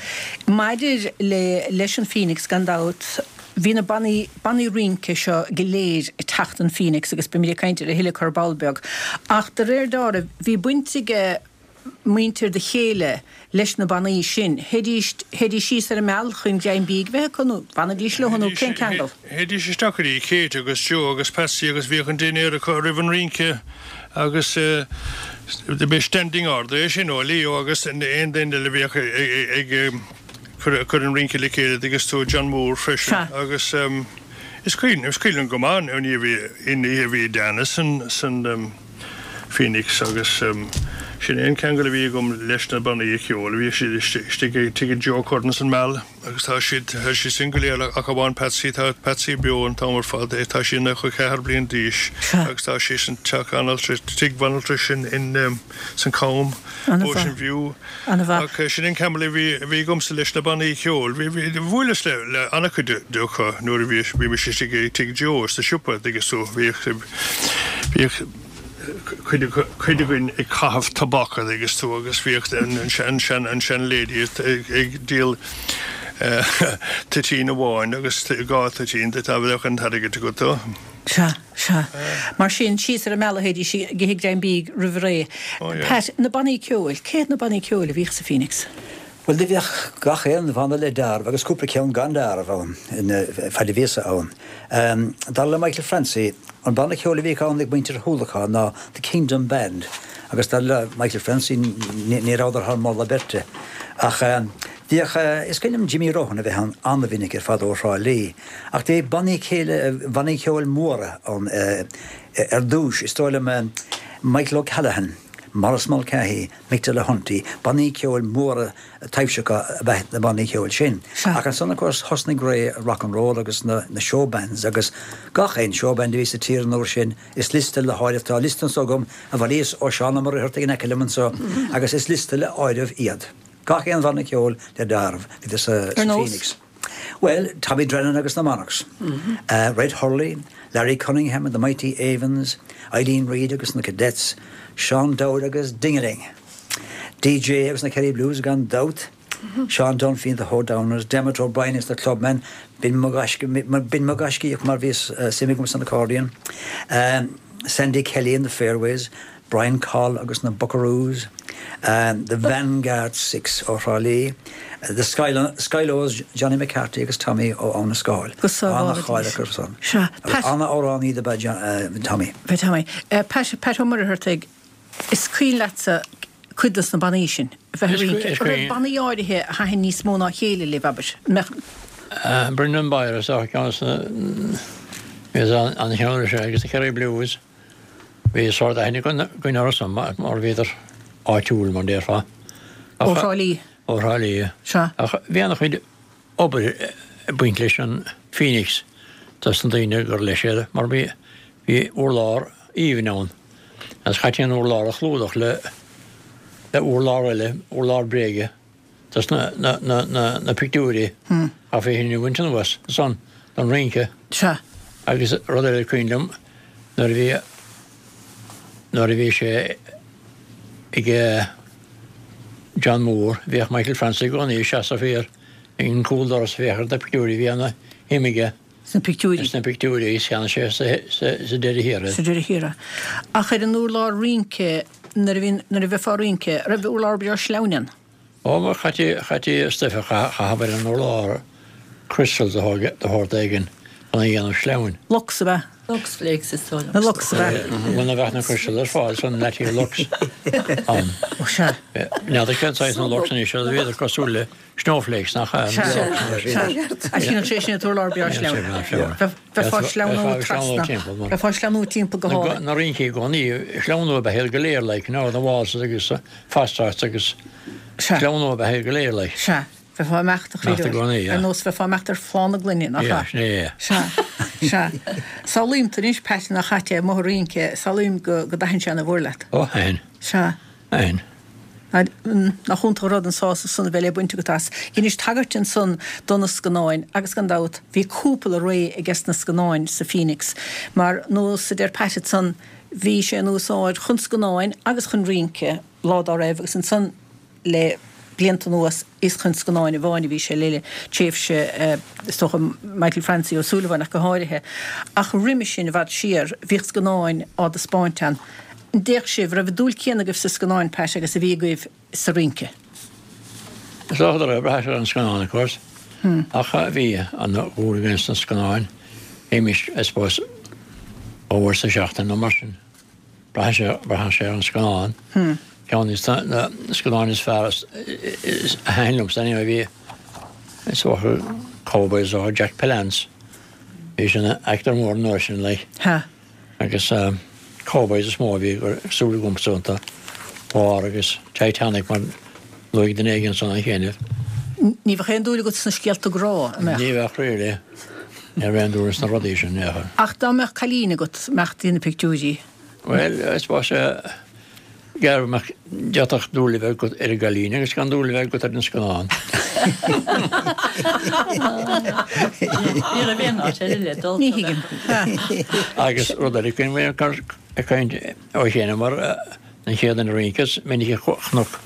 maidir le, leis an Phoenix gan dabht, bhí na bannaí, bannaí rince seo go léir ag teacht an Phoenix agus beimid ag caint air a thuilleadh ar ball beag. Ach de réir dealraimh, bhí baint aige muintir do chéile leis na bannaí sin. Théidís, théidís síos ar an Meal chun greim bídh a bheith acu nó bhfanaidís leo nó cén ceangal? Théidís isteach go dtí Kate agus Joe agus Patsy agus bhíodh an dinnéar acu roimh an rince agus b'é standing order é sin ó Leo agus aon duine eile a bhíodh ag cur an rince le chéile agus tú John Moore freisin agus is cuimhin, is cuimhin liom go maith an oíche a bhí Dana san, san Phoenix agus sin é an ceangal a bhí agam leis na bannaí ceoil. Bhíodh siad istigh ag tigh Joe Curtin san Meal agus tá siad, tá siad sin go léir ach amháin Patsy, tá Patsy beo an t-am ar fad, tá sí nócha ceathair bliain d'aois agus tá sí san teach banaltrais, tigh banaltrais in, in, san Cam, Ocean View. Ach sin an ceangal a bhí, a bhí agamsa leis na bannaí ceoil. Bhí, bhí, bhuaileas le, le an-chuid acu nuair a bhí, bhí mise istigh ag tigh Joe sa siopa, agus so bhíodh, bhíodh, cuid againn ag caitheamh tobac agus tú agus bhíodh an sean sean an sean lady ag díol Toitín amháin agus dhá toitín duit dá mbeadh an t-airgead agat dó. Sea, sea. Mar sin, síos ar an mbealach théidís ag ithe greim bídh roimh ré. Pat, na bannaí ceoil, cé hiad na bannaí ceoil a bhíodh sa Phoenix? Bhuel, do bhíodh gach aon bhanna le deáramh agus cúpla ceann gan deáramh ann, fad a bhíos-sa ann. Dar le Michael Francie, an banna ceoil a bhíodh ann ag muintir Shúlacháin ná The Kingdom Band agus dar le Michael Francie ní rabhadar thar moladh beirte. Ach bhíodh, is cuimhin liom Jimmy Rohan a bheith ann an-mhinic ar fad ó Thrá Lí. Ach bhí bannaí céile, bannaí ceoil móra ann ar dtúis, is dóigh liom Michael O'Callaghan, Maurice Mulcahy, Mick Delahunty, bannaí ceoil móra taibhseacha ab ea na bannaí ceoil sin. Ach ansan of course thosnaigh ré rock and roll agus na show bands agus gach aon show band a bhí sa tír an uair sin, is liosta le háireamh, tá liosta anso agam a bhailíos ó Seán Ó Muircheartaigh in aice liom anso agus is liosta le áireamh iad. Gach aon bhanna ceoil le deáramh, bhíodar sa Ar nós? Phoenix. Bhuel, Tommy Drennan agus na Monarchs, Red Hurley, Larry Cunningham and the Mighty Avons, Eileen Reid agus na Cadets, Seán Dowd agus Ding-a-Ling, DJ agus na Kerry Blues gan dabht, Seán Dunphy and the Hoedowners, Dermot O'Brien agus na Clubmen, b'in mo ghaiscíoch mar bhí suim agam san accordion, Sandy Kelly and the Fairways, Brian Coll agus na Buckaroos, The Vanguard Six ó Thrá Lí, The Skylos, Johnny McCarthy agus Tommy ó Abha na Scáil. Go sábhála An-cháil acu san. Sea. Agus an-amhránaí do b'ea Tommy. B'ea Tommy. Pat, Pat Ó Muircheartaigh, is cuimhin leatsa cuid dos na bannaí sin a bheith ag rince? An raibh bannaí áirithe a thaitin níos mó ná a chéile libh, abair? An mbeadh. Brendan Bowyer is dócha ceann de na, an cheann seo agus na Kerry Blues. Bhí sórt aithne againn orthu san mar bhíodar áitiúil mar déarfá. Ó Thrá Lí. Ó Thrá Lí. Sea. Ach bhí an-chuid obair ag baint leis an Phoenix dos na daoine gur leis iad mar bhí bhí urlár aoibhinn ann agus chaití an urlár a chlúdach le le urlár eile, urlár bréige. Dos na, na, na, na, na pictiúirí. Chaithfí sin a bhaint anuas ansan don rince. Sea. Agus rud eile cuimhin liom nuair a bhí, nuair a bhí sé ag John Moore, bhíodh Michael Francie i gcónaí ag seasamh thiar ag an gcúldoras ag féachaint ar na pictiúirí, bhí ana shuim aige. Sna pictiúirí. Sna pictiúirí is cheannaigh sé sa, sa, sa deireadh thiar iad. Sa deireadh thiar. Ach ar an urlár rince, nuair a bhí, nuair a bheifeá ag rince, raibh urlár breá sleamhain ann? Ó, mar chaití, chaití stuif a chaitheamh ar an urlár, crystals de shórt éigin chun a dhéanamh sleamhain. Lux ab ea? Lux flakes is dóigh liom. Na Lux ab ea? Muna bheadh na crystals ar fáil san leití Lux ann. Ó sea. N'fheadar cén saghas na Lux anois, bhíodar cosúil le snowflakes nach ea? Sea, sea. Ach shíneodh sé sin an t-urlár breá sleamhain. Bheifeá ag sleamhnú trasna. Bheifeá ag sleamhnú timpeall go hálainn. Na rincí i gcónaí, sleamhnú ab ea iad go léir like, you know, na waltzes agus foxtrots agus sleamhnú ab ea iad go léir like. Sea. Bheifeá ag imeacht a Imeacht i gcónaí, yeah. Ar nós bheifeá ag imeacht ar phlá na gloine, nach ea? Yeah, sin é, yeah. Sea, sea. Samhlaím anois, Pat, nach ait é, amuigh ag rince, samhlaím go, go dtaitin sé ana mhór leat. Ó, thaitin. Sea. Thaitin. Nach iontach an rud an sásamh san a bheith le baint agat as. Dheinis tagairt ansan do na scannáin agus gan dabht bhí cúpla ré ages na scannáin sa Phoenix mar nós a deir Pat ansan bhí sé in úsáid chun scannáin agus chun rince lá dá raibh agus ansan le blianta anuas is chun scannáin amháin a bhí sé le tréimhse is dócha Michael Francie Ó Súilleabháin ach go háirithe. Ach roimhe sin i bhfad siar bhíodh scannáin á dtaispeáint ann. An dtéadh sibh, raibh an dúil céanna agaibh sa scannáin, Pat, agus a bhí agaibh sa rince? Is dócha go raibh, braitheann sé ar an scannán, of course. Ach bhí an-dhúil againn sna scannáin. Théimis, I suppose, dhá uair sa seachtain nó mar sin. Braitheann sé, braitheann sé ar an scannán. Ceann de na scannáin is fearr a thaitin liomsa anyway bhí, is dócha, Cowboys ó Jack Palance. Bhí sin actor mór an uair sin, like. Ha. Agus Cowboys is mó a bhí ag súil agamsa iontu. War agus Titanic mar luaigh duine éigin ansan an chéanna. Ní bheadh aon dúil agat sna scéalta grá, an mbeadh? Ní bheadh really. Ní raibh aon dúil sna rudaí sin, ní bheadh. Ach dá mbeadh cailín agat, mbeadh di na pictiúirí? Bhuel, I suppose, gearr mbeadh, d'fhéadfadh dúil a bheith agat ar an gcailín agus gan dúil a bheith agat ar an scannán. Ní raibh aon áit eile le dul. Ní thuigim. Agus rud eile, cuimhin liom ag caint ó chéanna mar an chéad duine a rince, is minic a chonac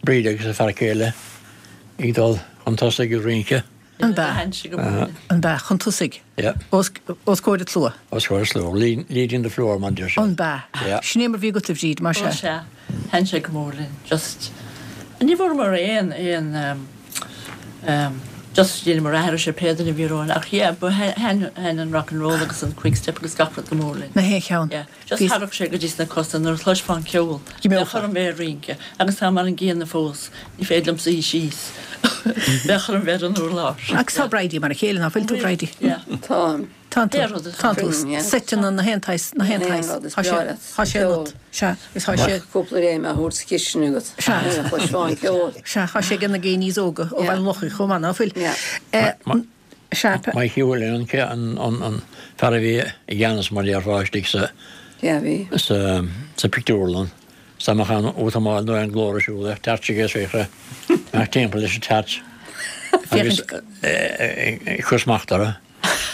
Bríd agus a fear céile ag dul chun tosaigh ag rince. An b'ea? An b'ea? Chun tosaigh? Yeah. Os os comhair an tslua? Os comhair an tslua. Leading the floor, mar a deir siad. An b'ea? Yeah. Sin é mar bhí agat a Bhríd, mar sea? Ó sea. Thaitin sé go mór linn. Just, ní bhfuaireamar aon, aon ehm, ehm, just dheineamar aithris ar pé duine a bhí romhainn ach yeah, but thaitin, thaitin an rock and roll agus an quick step agus gach rud go mór linn. Na haon cheann. Yeah. Just thagadh sé go dtí sna cosa nuair a chloisfeá an ceol. Bheadh orm bheith ag rince agus tá mar an gcéanna fós, ní féidir liom suí síos. Bheadh orm bheith ar an urlár. Agus tá Bridie mar a chéile, ná fuil tú Bridie? Táim. Tá tú. Tá tú. Seiteanna na haon tsaghas, na haon tsaghas. Tá sé, tá sé ionat. Sea, agus tá sé. Cúpla léim a thabhairt sa chistin agat. Sea. Nuair a chloisfeá an ceol. Sea, tá sé ag na daoine óga ó Bhaile an Lochaigh chomh maith, ná fuil? Sea. Mikey Whelan an an fear a bhí i gceannas mar déarfá istigh sa sa sa pictiúrlann. Is dá mbeadh aon útamáil nó aon ghlór ar siúl bheadh tairt aige is bheadh amach timpeall leis an tairt agus ag cur smacht orthu.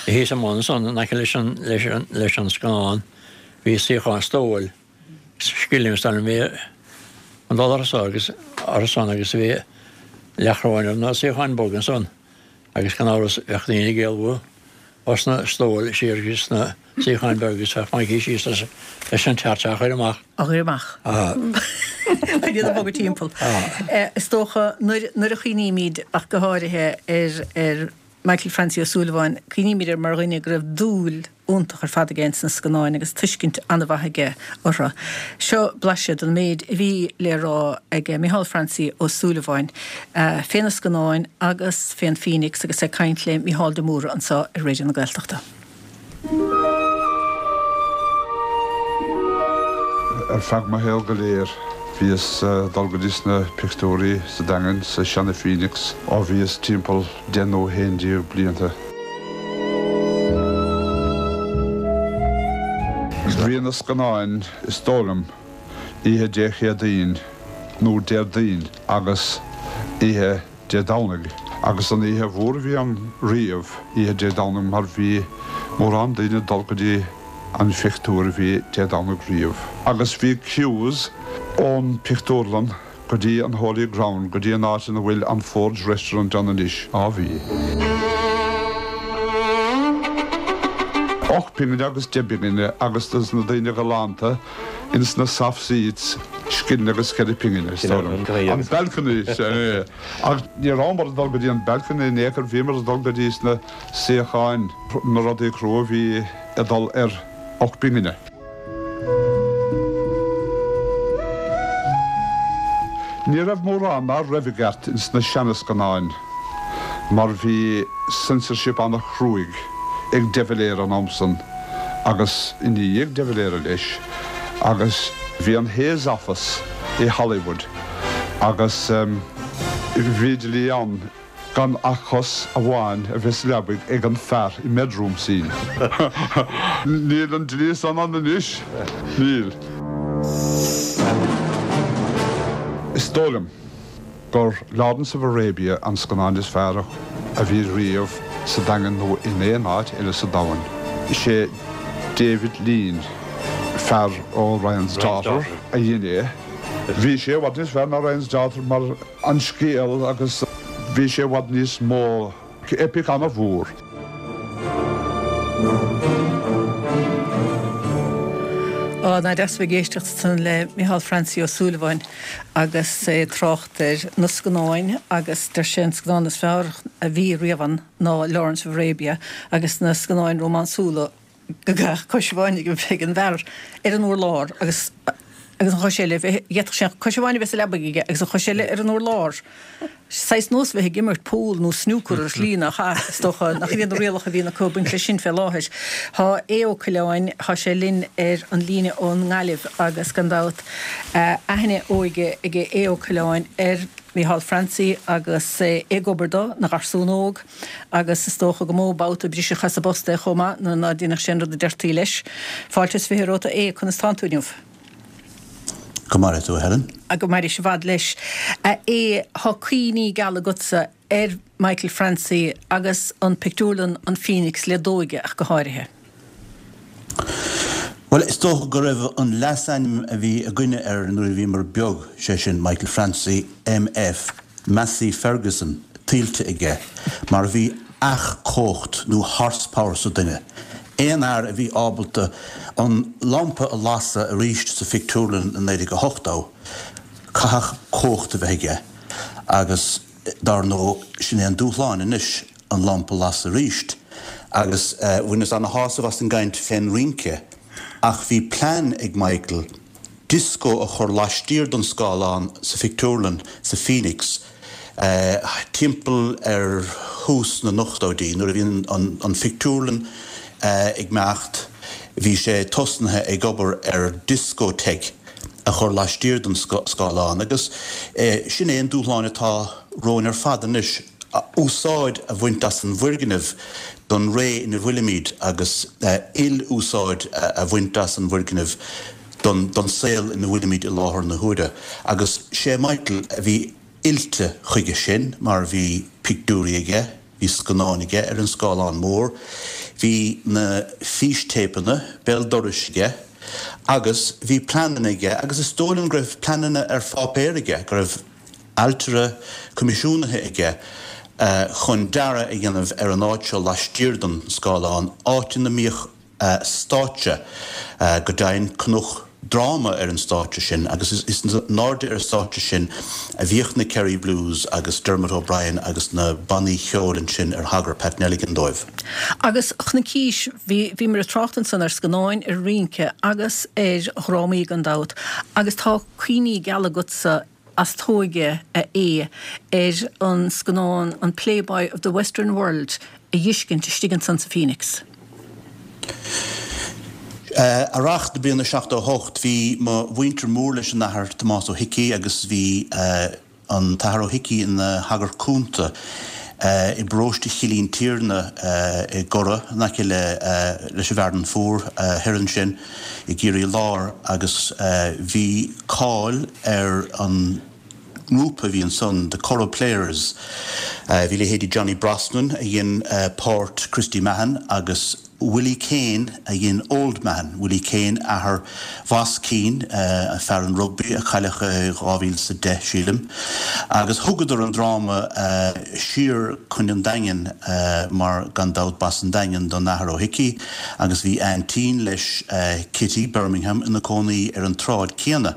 Thíos i mbun ansan in aice leis an leis an leis an scannán bhí suíochán stóil scilling is dóigh liom bhí an dul orthu so agus orthu san agus bhí leathchoróin ar na suíocháin bhoga ansan. Agus gan amhras bheadh daoine ag éalú os na stóil siar go sna suíocháin bheaga agus bheadh Mikey síos leis an tairt á chur amach. Á chur amach. Chun iad a bhogadh timpeall. Is dócha nuair a chuimhnímid ach go háirithe ar Michael Francie Ó Súilleabháin, cuimhnímid air mar dhuine go raibh dúil iontach ar fad aige ins na scannáin agus tuiscint an-mhaith aige orthu. Seo blaiseadh den méid a bhí le rá ag Micheál Francie Ó Súilleabháin fé na scannáin agus fén Phoenix agus é ag caint le Mícheál de Mórdha anseo ar Raidió na Gaeltachta. Ar feadh mo shaol go léir bhíos ag dul go dtí sna pictiúirí sa Daingean, sa seana Phoenix, ó bhíos timpeall deich nó haon déag blianta. Bhí na scannáin, is dóigh liom, oíche Dé Céadaoin nó Déardaoin agus oíche Dé Domhnaigh. Agus an oíche mhór a bhí ann riamh, oíche Dé Domhnaigh, mar bhí mórán daoine ag dul go dtí an phictiúr a bhí Dé Domhnaigh riamh. Agus bhí queues ón pictiúrlann go dtí an Holy Ground, go dtí an áit ina bhfuil an Forge Restaurant ann anois. Á bhí. Ocht bpingine agus deich bpingine agus dos na daoine galánta ins na soft seats, scilling agus ceithre pingine, is dóigh liom. An balcony, sea é. Ach ní rabhamar ag dul go dtí an balcony in aon chor, bhíomar ag dul go dtí sna suíocháin, na rudaí crua a bhí ag dul ar ocht bpingine. Ní raibh mórán ná raibh i gceart ins na seana-scannáin mar bhí censorship ana-chruaidh ag De Valera an am san agus i ndiaidh De Valera leis agus bhí an Hays Office i Hollywood agus bhí dlí ann gan ach cos amháin a bheith sa leabaidh ag an fear i mbedroom scene. Níl an dlí san ann anois. Níl. Is dóigh liom gur Lawrence of Arabia an scannán is fearr a bhí riamh sa Daingean nó in aon áit eile sa domhan. Is é David Lean, fear ó Ryan's Daughter, a dhein é. Bhí sé i bhfad níos fearr ná Ryan's Daughter mar an scéal agus bhí sé i bhfad níos mó epic ana-mhór. Á, nach deas a bheith ag éisteacht ansan le Micheál Francie Ó Súilleabháin agus é ag trácht ar na scannáin agus deir sé an scannán is fearr a bhí riamh ann ná Lawrence of Arabia agus na scannáin rómánsúla go gcaithfeadh cois amháin a bheith ag an bhfear ar an urlár agus agus an chois eile, d'fhéadfadh sé cois amháin a bheith sa leabaidh aige agus an chois eile ar an urlár. Saghas nós bheith ag imirt pool nó snúcar ar shlí nach ea, is dócha, nach iad na rialacha a bhíonn acu ag baint leis sin fé láthair. Tá Aodh Ó Coileáin, tá sé linn ar an líne ón nGaillimh agus gan dabht aithne óige ag Aodh Ó Coileáin ar Mhícheál Francie agus é ag obair dó ina gharsún óg agus is dócha gur mó babhta a briseadh as an bpost é chomh maith nuair ná déanadh sé an rud a deirtí leis. Fáilte is fiche romhat a Aodh, conas tánn tú inniu? Go maire tú, a Helen. Go mairis i bhfad leis. A Aodh, tá cuimhní geala agatsa ar Michael Francie agus an pictiúrlann an Phoenix le d'óige ach go háirithe. Bhuel, is dócha go raibh an leasainm a bhí againne air nuair a bhíomar beag, sé sin Michael Francie, MF, Massey Ferguson, tuillte aige mar bhí each-chumhacht nó horsepower sa duine. Aon fhear a bhí ábalta an lampa a lasadh arís sa phictiúrlann i naoi déag a hochtó, caithfidh cumhacht a bheith aige agus dar ndóigh sin é an dúshlán anois, an lampa a lasadh arís. Agus bhaineas ana-shásamh as an gcaint fén rince ach bhí plean ag Michael dioscó a chur laistiar don scáileán sa phictiúrlann sa Phoenix timpeall ar thús na n-ochtóidí nuair a bhí an phictiúrlann ag imeacht bhí sé tosnaithe ag obair ar discotheque a chur laistiar don scáileán agus sin é an dúshlán atá romhainn ar fad anois, úsáid a bhaint as an bhfoirgneamh don ré ina bhfuilimid agus il-úsáid a bhaint as an bhfoirgneamh don saol ina bhfuilimid i láthair na huaire. Agus sé Michael a bhí oilte chuige sin mar bhí pictiúirí aige, bhí scannáin aige ar an scáileán mór, bhí na fístéipeanna béal dorais aige agus bhí pleananna aige agus is dóigh liom go raibh pleananna ar pháipéar aige, go raibh ailtire coimisiúnaithe aige chun dearadh a dhéanamh ar an áit seo laistiar den scáileán, áit ina mbíodh stáitse, go deimhin cnoc dráma ar an stáitse sin agus is in airde ar an stáitse sin a bhíodh na Kerry Blues agus Dermot O'Brien agus na bannaí cheoil ansin ar thagair Pat Nelligan dóibh. Agus chonaicis, bhí, bhíomar ag trácht ansan ar scannáin, ar rince agus ar dhrámaí gan dabht agus tá cuimhní geala agatsa as t'óige, a Aodh, ar an scannán an Playboy of the Western World a dh'fheiscint istigh ansan sa Phoenix. Earrach na bliana seachtó a hocht bhí mo mhuintir mór leis an Athair Tomás Ó hIcí agus bhí an tAthair Ó hIcí ina shagart cúnta i bparóiste Chill Intiarna i gCora in aice le leis an bhFearann Fuar thoir ansin i gCiarraí Láir agus bhí cáil ar an ngrúpa a bhí ansan, The Curragh Players. Bhí leithéidí Johnny Brosnan a dhein páirt Christy Mahon agus Willie Kane a dhein Old Mahon, Willie Kane, athair Bhas Keane, fear an rugbaí a cailleadh i dhá mhíle is a deich, sílim. Agus thugadar an dráma siar chun an Daingin mar gan dabht b'as an Daingean don Athair Ó hIcí agus bhí aintín leis, Kitty Bermingham, ina cónaí ar an tsráid céanna.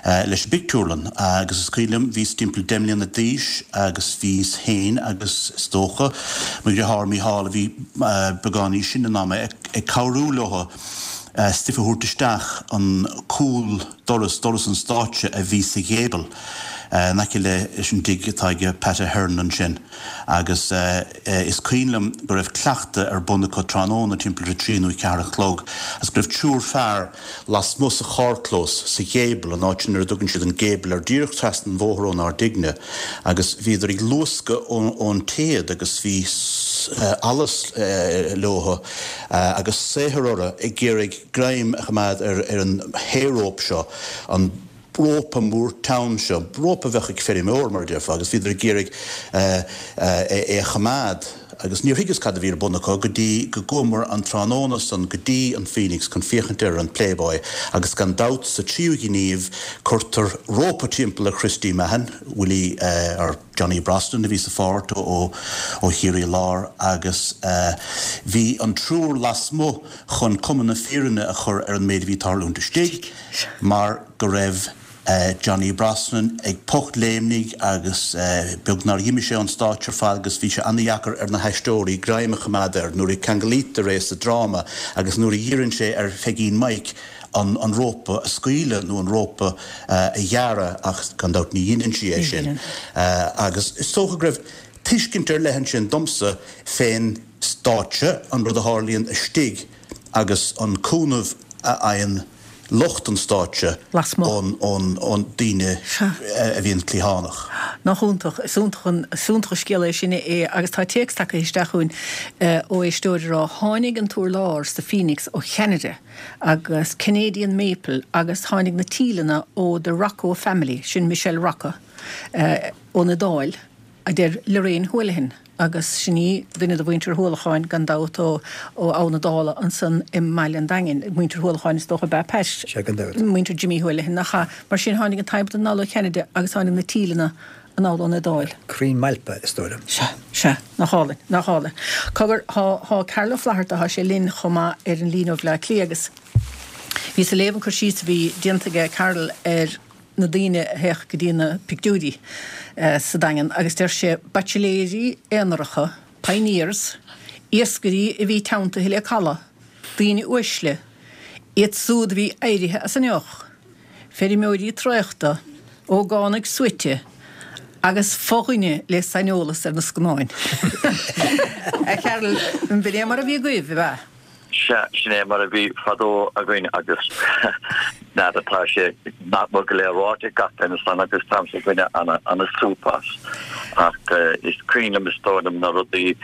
leis an bpictiúrlann agus is cuimhin liom, bhíos timpeall deich mbliana d'aois agus bhíos féin agus is dócha mo dheartháir Mícheál a bhí beagán níos sine ná mé ag cabhrú leo stuif a thabhairt isteach an cúl doras, doras an stáitse a bhí sa ghéibeal in aice leis an dtigh atá ag Pat Ahern ansin agus is cuimhin liom go raibh cleachtadh ar bun acu tráthnóna timpeall a trí nó a ceathair a chlog agus go raibh triúr fear lasmuigh sa charrchlós sa ghéibeal, an áit sin ar a dtugann siad an gable air, díreach trasna an bhóthair ónár dtighne, agus bhíodar ag luascadh ón téad agus bhí allas leo agus saothar orthu ag iarraidh greim a choimeád ar an hay-rope seo, an rópa mór teann seo, rópa a bheadh ag feirmeoir, mar a déarfá, agus bhíodar ag iarraidh é a choimeád agus níor thuigeas cad a bhí ar bun acu go dtí go gcuamar an tráthnóna san go dtí an Phoenix chun féachaint ar an Playboy agus gan dabht sa tríú gníomh cuirtear rópa timpeall ar Christy Mahon, Willie or Johnny Brosnan a bhí sa pháirt ó ó Chiarraí Láir agus bhí an triúr lasmuigh chun cuma na fírinne a chur ar an méid a bhí ag tarlúint istigh mar go raibh Johnny Brosnan ag pochtléimnigh agus beag nár dh'imigh sé ón stáitse ar fad agus bhí sé ana-dheacair ar na haisteoirí greim a choimeád air nuair a ceanglaítear é sa dráma agus nuair a iarrann sé ar Pheigín Mike an an rópa a scaoileadh nó an rópa a ghearradh ach gan dabht ní dheineann sí é sin agus is dócha go raibh tuiscint ar leith ansin domsa fén stáitse, an rud a tharlaíonn istigh agus an cúnamh a fhaigheann lucht an stáitse ón daoine a bhíonn cliathánach. Nach iontach. Is iontach an, is iontach an scéal é sin é agus tá téacs tagtha isteach chugainn ó éisteoir ag rá, Tháinig an t-urlár sa Phoenix ó Cheanada agus Canadian Maple agus tháinig na tíleanna ó the Rocco family, sin Michelle Rocco ón Iodáil. a deir Lorraine Houlihan, agus sin í duine de mhuintir Uallacháin gan dabht ó Abha na Dála ansan i mBaile an Daingin. Muintir Uallacháin is dócha ab ea Pat? Sea, gan dabht. Muintir Jimmy Houlihan, nach ea? Mar sin tháinig an t-adhmad anall ó Cheanada agus tháinig na tíleanna anall ón Iodáil. Crainn mailpe, is dóigh liom. Sea, sea, nach álainn, nach álainn. Cogar, thá, thá Carl Ó Flatharta, thá sé linn chomh maith ar an líne ó Bhleá Cliath agus bhíos ag léamh an cur síos a bhí déanta aige Carl ar na daoine a théadh go dtí na pictiúirí sa Daingean agus deir sé, baitsiléirí aonaracha, pioneers, iascairí a bhí teanntaithe le caladh, daoine uaisle, iad súd a bhí éirithe as an ndeoch, feirmeoirí traochta, ógánaigh suaite agus fo-dhuine le saineolas ar na scannáin. A Charl, b'in é mar a bhí agaibh, ab ea? Sea, sin é mar a bhí fadó againn agus n'fheadar, tá sé nach mór go léir ráite ag gach duine ansan agus táimse ag baint ana-súp as. Ach is cuimhin liom, is dóigh liom, na rudaí,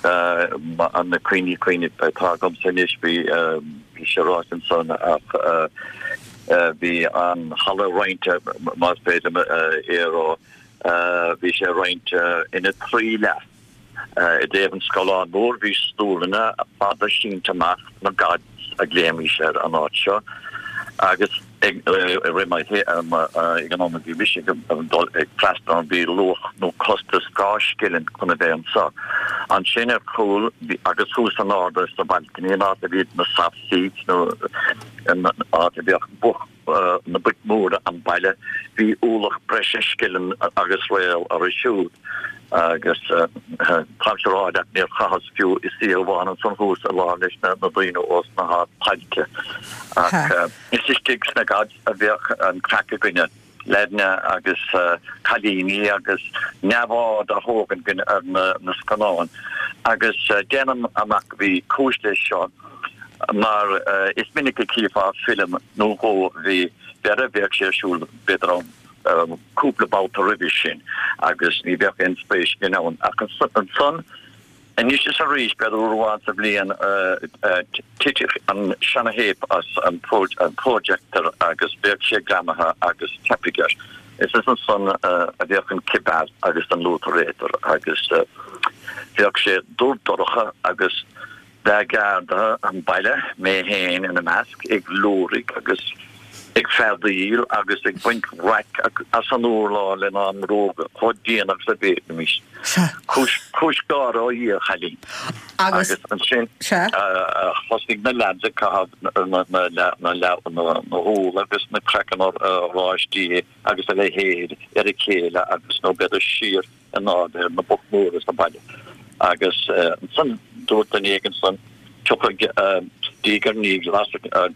na cuimhní cuimhní atá agamsa anois, bhí, bhí sé ráite ansan ach bhí an halla roinnte, más féidir liom é a rá, bhí sé roinnte ina trí leath. I dtaobh an scáileáin mhóir bhí stólanna fada sínte amach, na gods a ghlaoimis ar an áit seo, agus ag rith mo ag an am a bhí mise ag dul ag freastal ann bhí luach nó costas dhá scilling chun a bheith anseo. Ansin ar chúl agus thuas in airde sa balcony an áit a bhí na soft seats nó an áit a bheadh both na boic mhóra an baile, bhí ualach breise scilling agus réal orthu siúd. Agus táimse a rá leat, níor chaitheas fiú oíche amháin ansan thuas i lár leis na daoine ós na hardtailte. Ach is istigh sna gods a bheadh an craic againne, leaideanna agus cailíní agus neamhaird á thógaint againn ar na scannáin. Agus déanaim amach go bhí cúis leis seo mar is minic a chífeá film nó dhó a bhí, b'fhéidir, bheadh sé ar siúl b'fhéidir ann. cúpla babhta roimhe sin agus ní bheadh aon spéis againn ann. Ach ansan, anois is arís, b'fhéidir uair amháin sa bhliain, titfeadh an seana-théip as an projector agus bheadh sé greamaithe agus teipfeadh air. Is ansan a bheadh an cibeal agus an luatarator agus bheadh sé dubh dorcha agus Bheadh gardaithe an bhaile, mé féin ina measc, ag liúirigh agus ag feadaíl agus ag baint raic as an urlár lenár mbróga chomh dian agus a bhféadfaimis. Cúis, cúis gáire ó Dhia, a chailín. Agus ansin thosaigh na leaids ag caitheamh na, na, na, na, na húll agus na craiceann oráistí agus a leithéid ar a chéile agus nó b'fhéidir siar in airde ar na boic mhóra sa bhaile agus ansan dúirt duine éigin ansan tiocfaidh diaidh ar ndiaidh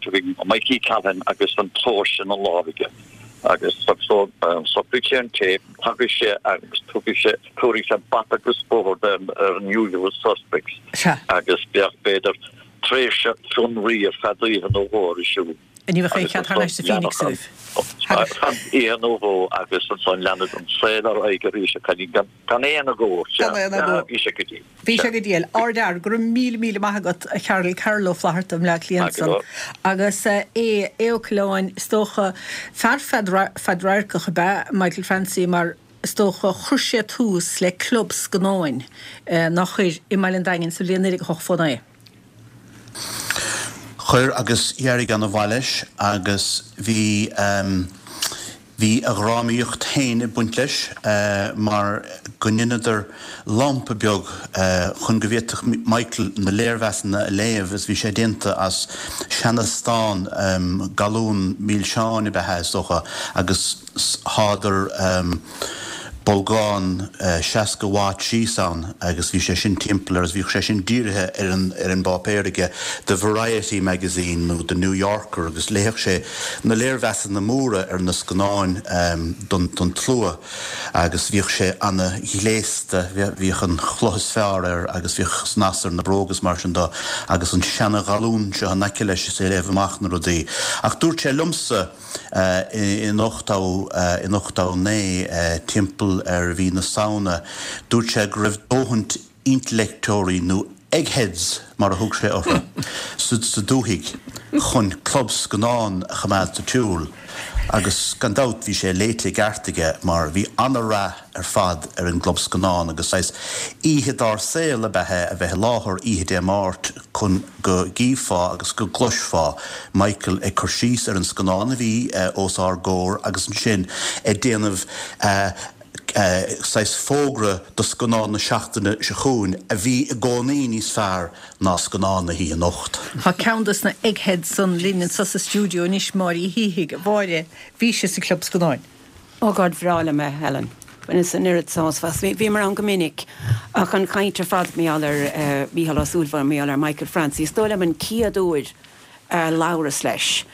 tiocfaidh Mikey Callahan agus an tóirse ina lámh aige agus socraigh sé an téip, tagadh sé agus tugadh sé, tabharfaidh sé bata agus bóthar ar an usual suspects agus bheadh b'fhéidir tréimhse fionraí ar feadh oíche nó dhó ar siúl. Ní bheadh aon chead thar n-ais sa Phoenix agaibh. Ar feadh oíche nó dhó agus ansan leanadh an saol ar aghaidh arís a chailín gan gan aon agó. Sea, Gan aon agó. bhí sé go diail. Bhí sé go diail. Ardfhear, go raibh míle míle maith agat a Charl, Carl Ó Flatharta i mBleá Cliath Maith go ansan. leor. Agus Aodh, Aodh Ó Coileáin, is dócha, fear fadradharcach ab ea Michael Francie mar is dócha chuir sé tús le club scannáin, nár chuir, i mBaile an Daingin sa bhliain naoi déag a hochtó naoi. Chuir agus d'éirigh ana-mhaith leis agus bhí bhí a dhrámaíocht féin ag baint leis mar go ndeineadar lampa beag chun go bhféadfadh Michael na léirmheasanna a léamh is bhí sé déanta as seana-stán galún milseáin ab ea é is dócha agus shádar bolgán seasca watt síos ann agus bhí sé sin timpeall air agus bhíodh sé sin dírithe ar an ar an bpáipéar aige, The Variety Magazine nó The New Yorker agus léifeadh sé na léirmheasanna móra ar na scannáin don don tslua agus bhíodh sé ana-ghléasta, bhíodh an chulaith is fearr air agus bhíodh snas ar na bróga is mar sin de agus an seana-ghalún seo in aice leis is é ag léamh amach na rudaí. Ach dúirt sé liomsa. In ochtó, in ochtó naoi, timpeall ar mhí na Samhna, dúirt sé go raibh dóthaint intleachtóirí, nó eggheads mar a thug sé orthu, sa dúthaigh chun club scannán a choimeád sa tsiúl. Agus gan dabht bhí sé léite i gceart aige mar bhí ana-rath ar fad ar an gclub scannán agus saghas oíche dár saol ab ea é a bheith i láthair oíche Dé Máirt chun go gcífeá agus go gcloisfeá Michael ag cur síos ar an scannán a bhí os ár gcomhair agus ansin ag déanamh saghas fógra do scannán na seachtaine seo chugainn a bhí i gcónaí níos fearr ná scannán na hoíche anocht. Tá ceann dos na eggheads san linn anso sa stiúideo anois, Máire Uí Shíthigh. A Mháire, bhís sa Club Scannáin. Ó God bhreá liom é, Helen. Bhaineas an oiread sásamh as. Bhíomar ann go minic ach an chaint ar fad mar gheall ar Mhícheál Ó Súilleabháin, mar gheall ar Michael Francie. Is dóigh liom an chéad uair a labhras leis,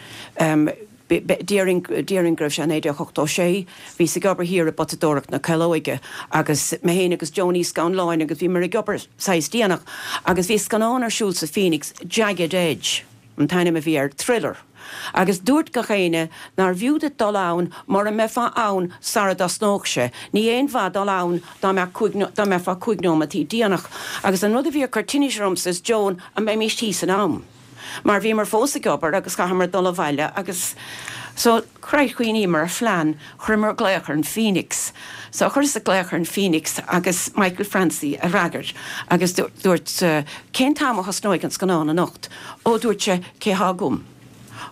déarfainn déarfainn go raibh sé naoi déag ochtó sé, bhíos ag obair thiar i bPotadóireacht na Caolóige agus mé féin agus Joan Uí Scanláin agus bhíomar ag obair saghas déanach agus bhí scannán ar siúl sa Phoenix, Jagged Edge an t-ainm a bhí air, thriller. Agus dúirt gach éinne nár bhfiú duit dul ann mura mbeifeá ann sara dtosnódh sé. Ní aon mhaith dul ann dá mbeadh cúig dá mbeifeá cúig nóimeataí déanach. Agus an rud a bhí ag cur tinnis ormsa is Joan, an mbeimis thíos in am? Mar bhíomar fós ag obair agus chaitheamar dul abhaile agus so christ chuimhníomar ar phlean, chuireamar glaoch ar an Phoenix. So chuireas glaoch ar an Phoenix agus Michael Francie a fhreagair agus dúirt cén t-am a thosnóidh an scannán anocht? Ó dúirt sé cé há agam?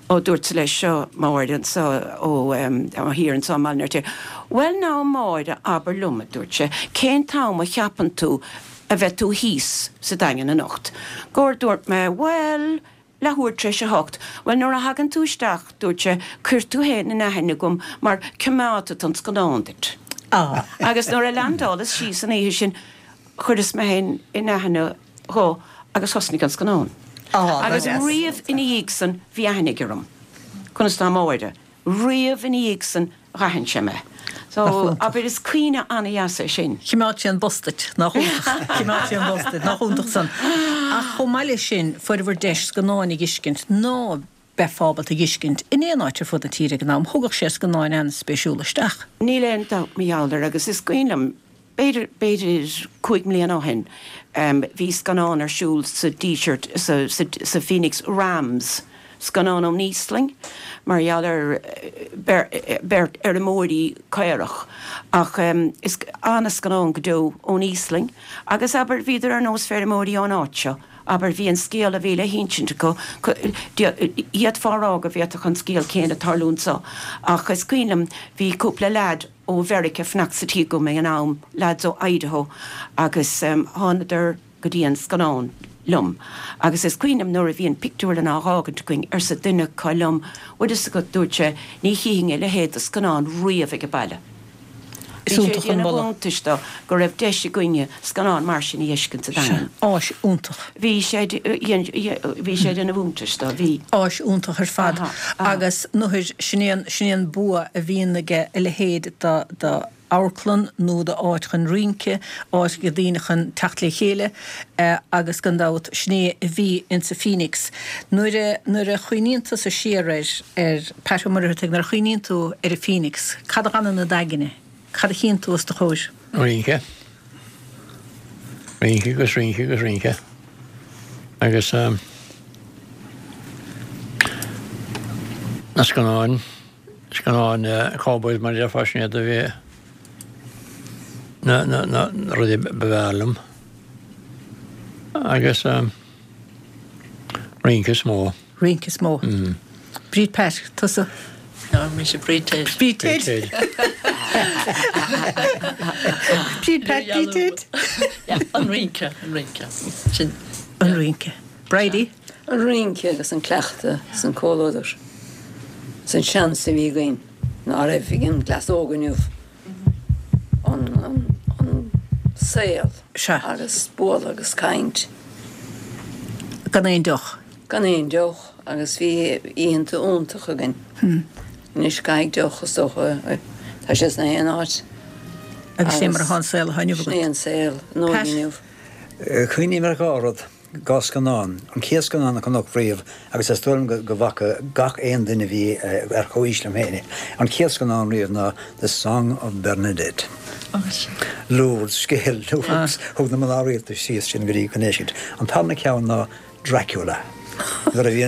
Ó dúirt leis seo Máire anso ó thiar anso i mBaile an Fheirtéaraigh. Bhuel now Máire abair liom a dúirt sé, cén t-am a cheapann tú a bheidh tú thíos sa Daingean anocht? Gur dúirt mé bhuel leathuair tar éis a hocht. Bhuel nuair a thagann tú isteach dúirt sé cuir tú féin in aithne agam mar coimeádfad an scannán duit. Agus nuair a leaindeálas síos an oíche sin chuireas mé féin in aithne dhó agus thosnaigh an scannán. Agus riamh ina dhiaidh san bhí aithne aige orm. Conas tá Máire? Riamh ina dhiaidh san dh'aithin sé mé. So, abair, is cuimhne an-dheas é sin. Choimeád sé an bus duit, nach iontach. Choimeád sé an bus duit, nach iontach san. Ach chomh maith leis sin, fuaireabhair deis scannáin a dh'fheiscint ná beifeá ábalta a dh'fheiscint in aon áit ar fud na tíre ag an am. Thugadh sé scannáin an-spéisiúla isteach. Níl aon dabht mar gheall air agus is cuimhin liom, b'fhéidir, b'fhéidir cúig mbliana ó shin, bhí scannán ar siúl sa Díseart, sa, sa, sa Phoenix, Rams, scannán ón Íoslainn, mar gheall ar bheirt fheirmeoirí caorach. Ach is an-scannán go deo ón Íoslainn agus abair, bhíodar ar nós feirmeoirí ón áit seo, abair, bhí an scéal a bhí le hinsint acu, d'fhéadfá a rá go bhféadfadh an scéal céanna tarlú anso. Ach is cuimhin liom, bhí cúpla leaid ó Mheiriceá ag fanacht sa tigh agam ag an am, leaids ó Idaho, agus thánadar go dtí an scannán liom. Agus is cuimhin liom nuair a bhí an pictiúrlann á dh'fhágaint againn, arsa duine acu liom, 'Bhfuil fhios agat, dúirt sé, 'ní chífinn a leithéid de scannán riamh ag an baile. Is Bhí sé ag iontach an déanamh moladh. iontais dó go raibh deis againne scannán mar sin a dh'fheiscint sa Sea, Daingean. áis iontach. Bhí sé, bhí sé ag déanamh iontais dó, bhí. Áis iontach ar fad. Aha, aha. Agus nuair, sin é an, sin é an bua a bhíonn aige a leithéid de, de amharclann nó de áit chun rince, áit do daoine chun teacht le chéile agus gan dabht sin é a bhí insa Phoenix. Nuair a, nuair a chuimhníonn tusa siar air, ar Pat Ó Muircheartaigh, nuair a chuimhníonn tú ar an Phoenix, cad a fhanann i d'aigne? Cad a chíonn tú os do chomhair? Rince. Rince agus rince agus rince. Agus na scannáin, scannáin cowboys mar a déarfá, sin iad a bhí na, na, na rudaí ba bhfearr liom. Agus rince is mó. Rince is mó. Bríd Pat, tusa? No, mise Bríd Ted. Bríd Ted. Bríd Pat, Bríd Ted. An rince, an rince. Sin. An rince. Bridie? An rince agus an cleachtadh is an comhluadar. Is an seans a bhí againn ná raibh ag an gcleas óg inniu. An, an saol. Sea. Agus bualadh agus caint. Gan aon deoch. Gan aon deoch agus bhí oícheanta iontach againn. Anois caithfidh deoch is dócha, tá sé sna haon áit. Agus sin é mar atá an saol atá inniu Sin agat. é an saol an Pat? óige inniu. Cuimhním ar dhá rud, dhá scannán. An chéad scannán a chonac riamh agus is dóigh liom go bhfaca gach aon duine a bhí ar chomhaois liom féin é, an chéad scannán riamh ná The Song of Bernadette. Lourdes, scéal Lourdes. Thug na mná rialta síos sin go dtí go n-éiscint. An tarna ceann ná Dracula. Nuair a bhí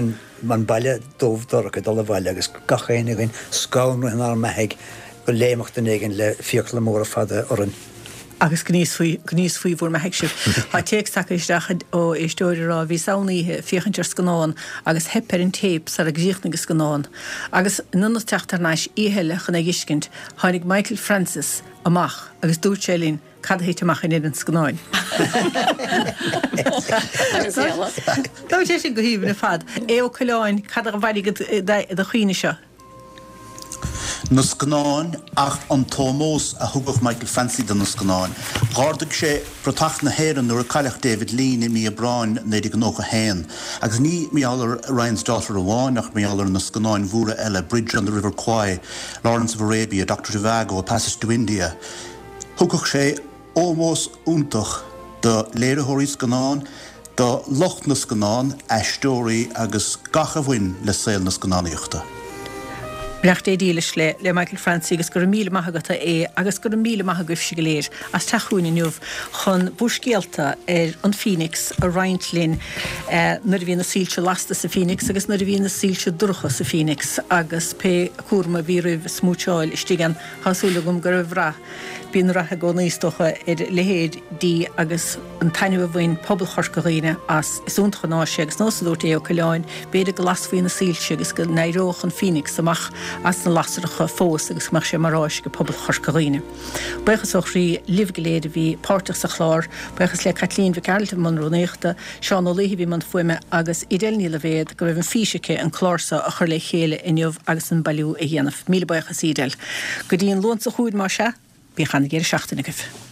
an baile dubh dorcha ag dul abhaile agus gach éinne againn scanraithe inár mbeathaigh go léimfeadh duine éigin le fiacla móra fada orainn. Agus go n-íosfaí bhur mbeathaigh sibh. Tá téacs tagtha isteach ó éisteoir ag rá, Bhíos ann oíche ag féachaint ar scannán agus theip ar an téip sara gcríochnaigh an scannán. Agus in ionad teacht thar n-ais oíche eile chun é a dh'fheiscint, tháinig Michael Francis amach agus dúirt sé linn cad a thit amach in an scannáin. Tá sé sin go haoibhinn ar fad. Aodh Ó Coileáin, cad a mhairfidh i do chuimhne seo? Na scannáin ach an t-ómós a thugadh Michael Francie do na scannáin. Dh'ardaigh sé bratach na hÉireann nuair a cailleadh David Lean i mí Aibreáin naoi déag nócha haon. Agus ní mar gheall ar Ryan's Daughter amháin ach mar gheall ar na scannáin mhóra eile, Bridge on the River Kwai, Lawrence of Arabia, Doctor Zhivago, A Passage to India. Thugadh sé ómós iontach do léiritheoirí scannán, do lucht na scannán, aisteoirí agus gach a bhain le saol na scannánaíochta. Beannacht Dé dílis le le Michael Francie agus go raibh míle maith agat a Aodh agus go raibh míle maith agaibhse go léir as teacht chugainn inniu chun bhur scéalta ar an Phoenix a roinnt linn nuair a bhí na soilse lasta sa Phoenix agus nuair a bhí na soilse dorcha sa Phoenix agus pé cúram a bhí oraibh smúitseáil istigh ann. Tá súil agam go raibh rath. Bíonn rath i gcónaí is dócha ar a leithéidí agus an taitneamh a bhain pobal Chorca Dhuibhne as. Is iontach an áis é agus nós a dúirt Aodh Ó Coileáin, b'fhéidir go lasfaí na soilse agus go n-éireodh an Phoenix amach as na lasracha fós agus go mbeadh sé mar áis ag pobal Chorca Dhuibhne. Buíochas ó chroí libh go léir a bhí páirteach sa chlár. Buíochas le Caitlín Mhic Gearailt i mbun rúnaíochta, Seán Ó Laoithe a bhí i mbun fuaime agus Edel Ní Loibhéad go raibh an fís aici an clár seo a chur le chéile inniu agus an bailiú a dhéanamh. Míle buíochas Edel. Go dtí an Luan seo chugainn más ea, bíodh an-deireadh seachtaine agaibh.